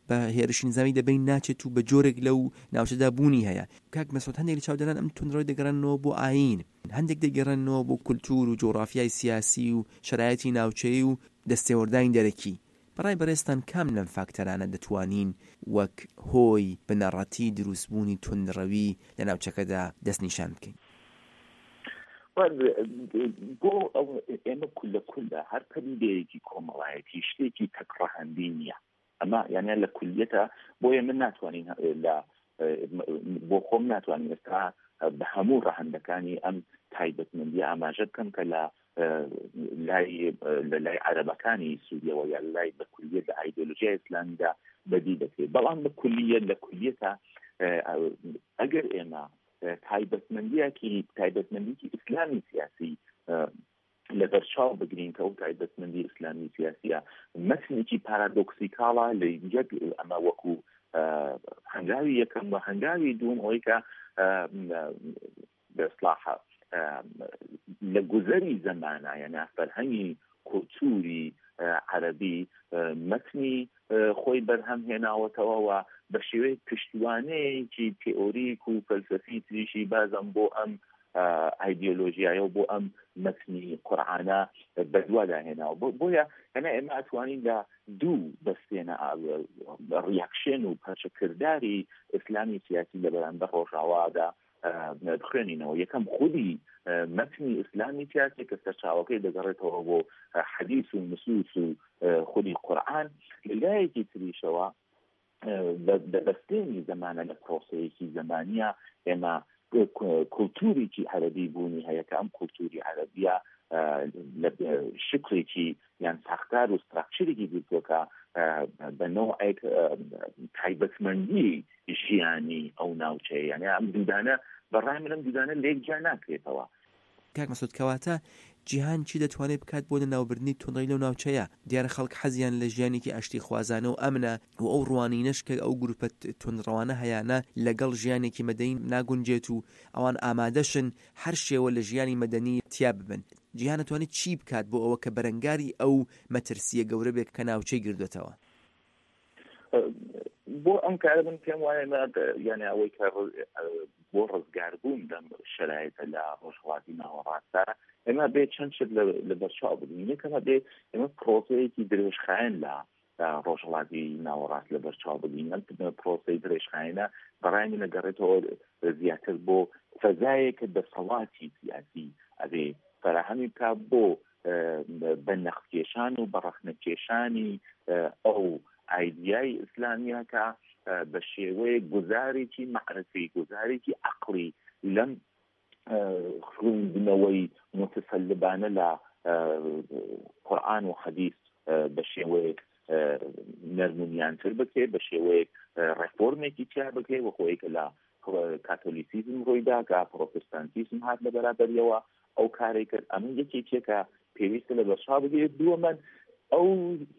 بە هێرشی نظامی دەبین ناچێت و بە جۆرێک لەو ناوچەدا بوونی هەیە. کاک مەسعود، هەندێک لە چاودێران ئەم توندڕەوی دەگەڕێننەوە بۆ ئایین، هەندێک دەگەڕێننەوە بۆ کولتوور و جۆغرافیای سیاسی و شەرایەتی ناوچەیی و دەستێوەردانی دەرەکی. بەڕای بەڕێزتان کام لەم فاکتەرانە دەتوانین وەک هۆی بنەڕەتی دروستبوونی توندڕەوی لە ناوچەکەدا دەستنیشان بکەین؟ بۆ ئەو ئێمە کولە کولە هەر پەدیدەیەکی کۆمەڵایەتی شتێکی تەکڕەهەندی نییە. ئەمە یانە لە کولیەتە، بۆیە من ناتوانین لە بۆ خۆم ناتوانین ئێستا بە هەموو ڕەهەندەکانی ئەم تایبەتمەندی ئاماژە بکەم کە لە لای لە لای عەرەبەکانی سووریەوە یا لای بە کولیەت لە ئایدۆلۆژیای ئیسلامیدا بەدی دەکرێت. بەڵام بە کولیەت لە کولیەتە ئەگەر ئێمە تایبەتمەندیەکی تایبەتمەندیکی ئیسلامی سیاسی لەبەرچاو بگرین کە ئەو تایبەتمەندی ئیسلامی سیاسیە مەتنێکی پارادۆکسیکاڵە لە یەک ئەمە وەکو هەنگاوی یەکەم و هەنگاوی دووەم ئەوەی کە بەسلاحە لە گوزەری زەمانە یعنی فەرهەنگی کولتوری عەرەبی مەتنی خۆی بەرهەم هێناوەتەوە و بە شێوەی پشتیوانەیەکی تئۆریک و فەلسەفی تریشی بازم بۆ ئەم ئایدیۆلۆژیایە و بۆ ئەم مەتنی قورئانە بەدوادا هێناوە. بۆیە هەنا ئێمە ئەتوانین لە دوو بەستێنە ڕیاکشن و پەرچەکرداری ئیسلامی سیاسی لە بەرامبەر ڕۆژاوادا بخوێنینەوە. یەکەم خودی مەتنی ئیسلامی سیاسی کە سەرچاوەکەی دەگەڕێتەوە بۆ حەدیث و نصوص و خودی قورئان، لە لایەکی تریشەوە بە بەستێنی زەمانە لە پرۆسەیەکی زەمانیە ئێمە کولتوریکی عەرەبی بوونی هەیە کە ئەم کولتوری عەرەبیە لە شکلێکی یان ساختار و ستراکچرێکی گرتووە بە نەوعێک تایبەتمەندی ژیانی ئەو ناوچەیە. یعنی ئەم دوودانە بەڕای من ئەم دوودانە لێک جیا ناکرێتەوە. کاک مەسعود، کەواتە جیهان چی دەتوانێت بکات بۆ لەناوبردنی توندڕەوی لەو ناوچەیە؟ دیارە خەڵک حەزیان لە ژیانێکی ئاشتیخوازانە و ئەمنە و ئەو ڕوانینەش کە ئەو گروپە توندڕەوانە هەیانە لەگەڵ ژیانێکی مەدەنی ناگونجێت و ئەوان ئامادەشن هەر شێوە لە ژیانی مەدەنی تیا ببن. جیهان دەتوانێت چی بکات بۆ ئەوە کە بەرەنگاری ئەو مەترسیە گەورە بێت کە ناوچەی گردوێتەوە؟ بۆ ئەم کارە من پێم وایە یعنی ئەوەی کە بۆ ڕزگاربوون لەم شەرایتە لە ڕۆژهەڵاتی ناوەڕاستدا ئێمە بێ چەند شت لە بەرچاو بگرین. یەکەمە بێ ئێمە پرۆسەیەکی درێژخایەن لە ڕۆژهەڵاتی ناوەڕاست لە بەرچاو بگرین. ئەم پرۆسەی درێژخایەنە بەڕای من دەگەڕێتەوە زیاتر بۆ فەزایەک کە دەسەڵاتی سیاسی ئەبێ فەراهەمی بکا بۆ بە نەختکێشان و بە ڕەخنەکێشانی ئەو ئایدیای ئیسلامیە کە بە شێوەیەک گوزارێکی مەعرفی، گوزارێکی عەقڵی لەم خوێندنەوەی متسەلبانە لە قورئان و حەدیث بە شێوەیەک نەرمونیانتر بکرێت، بە شێوەیەک ڕێفۆرمێکی تیا بکرێت، وەکۆی کە لە کاتۆلیسیزم ڕوویدا کە پرۆتستانتیزم هات لە بەرابەریەوە ئەو کارەی کرد. ئەمە یەکێکیە کە پێویستە لە بەرچاو بگرێت. دووەمەن ئەو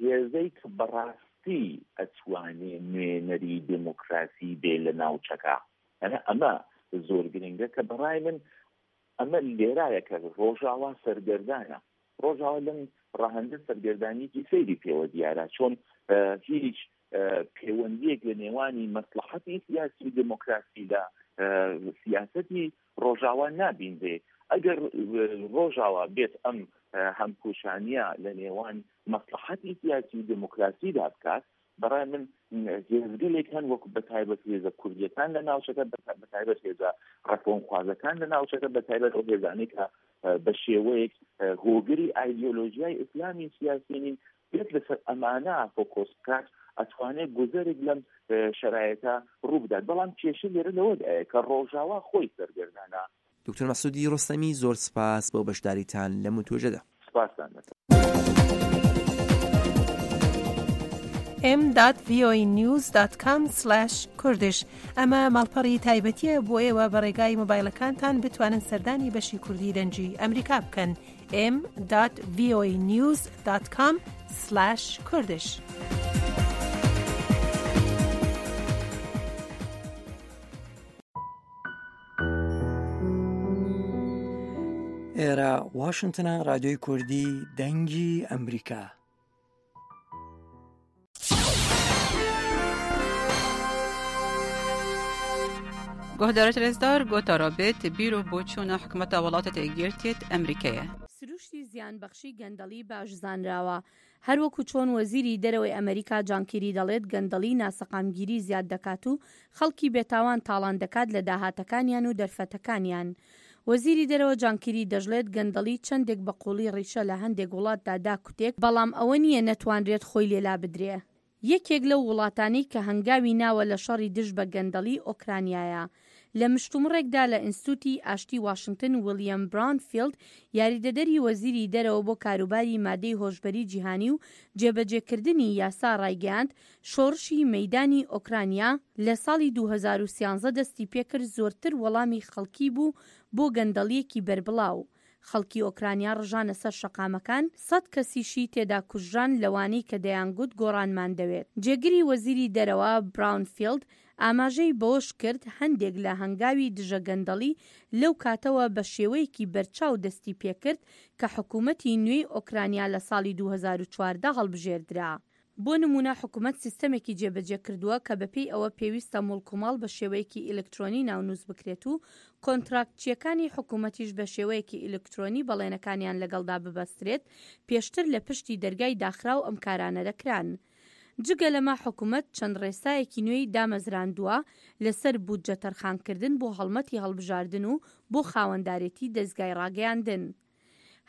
هێزەی کە بەڕاستی ئەتوانێ نوێنەری دێموکراسی بێ لە ناوچەکە، یعنی ئەمە زۆر گرنگە کە بەڕای من ئەمە لێرایە کە ڕۆژاوا سەرگەردانە. ڕۆژاوا لەم ڕەهەندە سەرگەردانیەکی سەیری پێوە دیارە، چۆن هیچ پەیوەندیەک لە نێوانی مەسلحەتی سیاسی و دێموکراسی لە سیاسەتی ڕۆژاوا نابینرێ. ئەگەر ڕۆژاوا بێت ئەم هەمپوشانیە لە نێوان مەسلحەتی سیاسی و دێموکراسیدا بکات، بەڕای من هێزگەلێک هەن وەکو بەتایبەت هێزە کوردیەکان لە ناوچەکە، بەتایبەت هێزە ڕەفۆنخوازەکان لە ناوچەکە، بەتایبەت ئەو هێزانەی کە بە شێوەیەک هۆگری ئایدیۆلۆژیای ئیسلامی سیاسی نین، بێت لەسەر ئەمانە فۆکۆس بکات، ئەتوانێت گوزەرێک لەم شەرایەتە ڕوو بدات. بەڵام کێشە لێرە لەوەدایە کە ڕۆژاوا خۆی سەرگەردانە. دکتۆر مەسعودی ڕۆستەمی، زۆر سپاس بۆ بەشداریتان لەم وتوێژەدا. سپاستان دەکەم. m dot voa news dot com slash kurdish ئەمە ماڵپەڕی تایبەتیە بۆ ئێوە بە ڕێگای مۆبایلەکانتان بتوانن سەردانی بەشی کوردی دەنگی ئەمریکا بکەن. m dot voa news dot com slash kurdish. ئێرە واشنگتنە، رادیۆی کوردی دەنگی ئەمریکا. گۆهدارت رێزدار گۆتارا بێت بیر و بۆچوونە حکومەتە وڵاتە تێگرتێت ئەمریکایە. سروشتی زیانبەخشی گەندەڵی باش زانراوە. هەروەکو چۆن وەزیری دەرەوەی ئەمریکا جان کیری دەڵێت گەندەڵی ناسەقامگیری زیاد دەکات و خەڵکی بێتاوان تاڵان دەکات لە داهاتەکانیان و دەرفەتەکانیان. وەزیری دەرەوە جان کیری دەشڵێت گەندەڵی چەندێک بە قوڵی ڕیشە لە هەندێک وڵاتدا داکوتێک، بەڵام ئەوە نییە نەتوانرێت خۆی لێ لابدرێ. یەکێک لەو وڵاتانەی کە هەنگاوی ناوە لە شەڕی دژ بە گەندەڵی ئۆکرانیایە. لە مشتومڕێکدا لە ئینستوتی ئاشتی واشنگتن ویلیەم براونفیڵد یاریدەدەری وەزیری دەرەوە بۆ کاروباری مادەی هۆشبەری جیهانی و جێبەجێکردنی یاسا ڕایگەیاند شۆڕشی مەیدانی ئۆکرانیا لە ساڵی دوو هەزار و سیانزە دەستی پێکرد زۆرتر وەڵامی خەڵکی بوو بۆ گەندەڵیەکی بەربڵاو. خەڵکی ئۆکرانیا ڕژانە سەر شەقامەکان، سەد کەسیشی تێدا کوژران لەوانەی کە دەیانگوت گۆڕانمان دەوێت. جێگری وەزیری دەرەوە براونفیڵد ئاماژەی بەوەش کرد هەندێک لە هەنگاوی دژە گەندەڵی لەو کاتەوە بە شێوەیەکی بەرچاو دەستی پێکرد کە حکوومەتی نوێی ئۆکرانیا لە ساڵی دوو هەزار و چواردە هەڵبژێردرا. بۆ نمونە حکومەت سیستەمێکی جێبەجێ کردووە کە بەپێی ئەوە پێویستە موڵک و ماڵ بە شێوەیەکی ئەلکترۆنی ناونووس بکرێت و کۆنتراکتچیەکانی حکومەتیش بە شێوەیەکی ئەلکترۆنی بەڵێنەکانیان لەگەڵدا ببەسترێت، پێشتر لە پشتی دەرگای داخراو ئەم کارانە دەکران. جگە لەمە حکومەت چەند ڕێسایەکی نوێی دامەزراندووە لەسەر بودجە تەرخانکردن بۆ هەڵمەتی هەڵبژاردن و بۆ خاوەندارێتی دەزگای ڕاگەیاندن.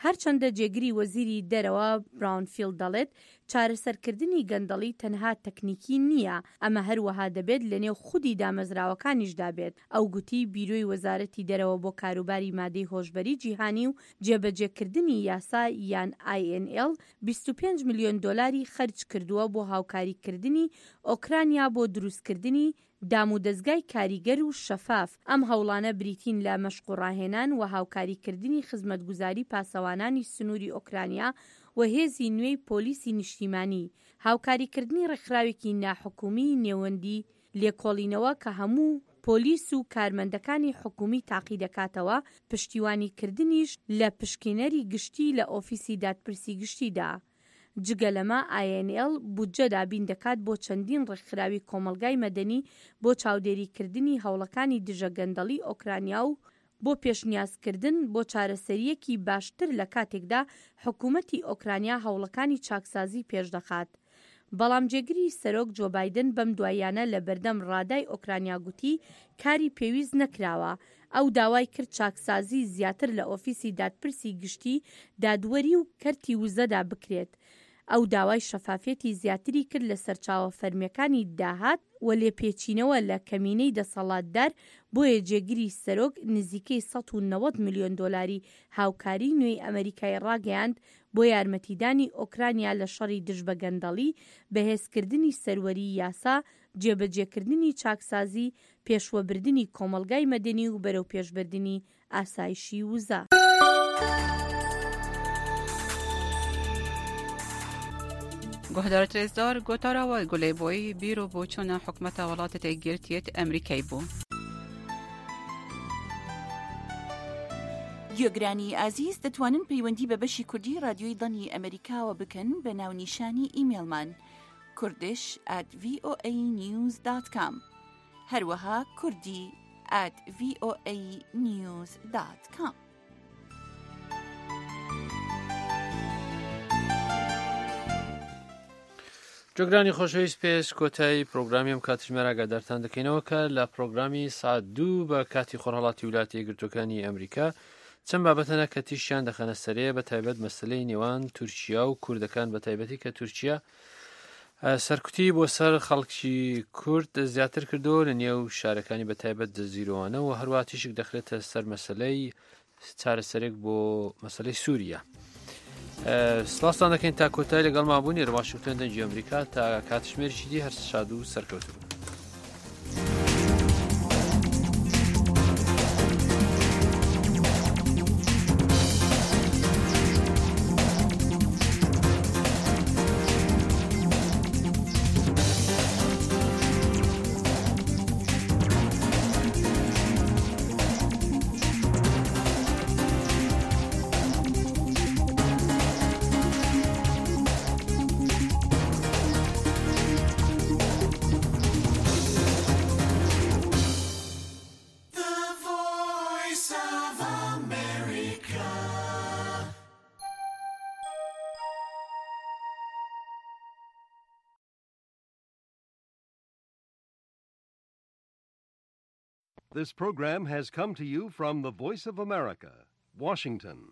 هەرچەندە جێگری وەزیری دەرەوە براونفیڵد دەڵێت چارەسەرکردنی گەندەڵی تەنها تەکنیکی نییە، ئەمە هەروەها دەبێت لەنێو خودی دامەزراوەکانیشدا بێت. ئەو گوتی بیرۆی وەزارەتی دەرەوە بۆ کاروباری مادەی هۆشبەری جیهانی و جێبەجێکردنی یاسا یان ئای ئێن ئێڵ بیست و پێنج ملیۆن دۆلاری خەرج کردووە بۆ هاوکاریکردنی ئۆکرانیا بۆ دروستکردنی دام و دەزگای کاریگەر و شەفاف. ئەم هەوڵانە بریتین لە مەشق و ڕاهێنان و هاوکاریکردنی خزمەتگوزاری پاسەوانانی سنووری ئۆکرانیا و هێزی نوێی پۆلیسی نیشتیمانی، هاوکاریکردنی ڕێکخراوێکی ناحکومی نێوەندی لێکۆڵینەوە کە هەموو پۆلیس و کارمەندەکانی حکومی تاقی دەکاتەوە، پشتیوانیکردنیش لە پشکینەری گشتی لە ئۆفیسی دادپرسی گشتیدا. جگە لەمە ئای ئێن ئێڵ بودجە دابین دەکات بۆ چەندین ڕێکخراوی کۆمەڵگای مەدەنی بۆ چاودێریکردنی هەوڵەکانی دژە گەندەڵی ئۆکرانیا و بۆ پێشنیازکردن بۆ چارەسەریەکی باشتر لە کاتێکدا حکوومەتی ئۆکرانیا هەوڵەکانی چاکسازی پێشدەخات. بەڵام جێگری سەرۆک جۆ بایدن بەم دواییانە لە بەردەم ڕادای ئۆکرانیا گوتی کاری پێویست نەکراوە. ئەو داوای کرد چاکسازی زیاتر لە ئۆفیسی دادپرسی گشتی دادوەری و کەرتی وزەدا بکرێت. ئەو داوای شەفافیەتی زیاتری کرد لە سەرچاوە فەرمیەکانی داهات و لێپێچینەوە لە کەمینەی دەسەڵاتدار، بۆیە جێگری سەرۆک نزیکەی سەد و نەوەد ملیۆن دۆلاری هاوکاری نوێی ئەمریکای ڕاگەیاند بۆ یارمەتیدانی ئۆکرانیا لە شەڕی دژ بە گەندەڵی، بەهێزکردنی سەروەری یاسا، جێبەجێکردنی چاکسازی، پێشوەبردنی کۆمەڵگای مەدەنی و بەرەو پێشبردنی ئاسایشی وزە. گۆهدار ترێزدار گۆتاراوە گولەی بۆی بیر و بۆچوونە حکومەتە وڵاتە تێگرتیەت ئەمریکای بوو. گوێگرانی ئازیز دەتوانن پەیوەندی بە بەشی کوردی رادیۆی دەنگی ئەمریکاوە بکەن بە ناونیشانی ئیمێڵمان کوردش at voa news dot com، هەروەها کوردی at voa news dot com. جۆگرانی خۆشەویست پێش کۆتایی پرۆگرامی ئەم کاتژمێر ئاگادارتان دەکەینەوە کە لە پرۆگرامی سعات دوو بە کاتی خۆرهەڵاتی ویلایەتە یەکگرتووەکانی ئەمریکا چەند بابەتەنە کە تیشیان دەخەنە سەرێ، بە تایبەت مەسلەی نێوان تورکیا و کوردەکان، بە تایبەتی کە تورکیا سەرکوتی بۆ سەر خەڵکی کورد زیاتر کردو لە نێو شارەکانی بە تایبەت جزیرۆوانە و هەروە تیشک دەخرێتە سەر مەسلەی چارەسەرێک بۆ مەسلەی سووریا. سلاستان دەکەین تا کۆتایی لەگەڵمان بوون. لە واشنگتن دەنگی ئەمریکا تا کاتژمێرێکی دی هەر شاد و سەرکەوتوو بن. This program has come to you from the Voice of America, Washington.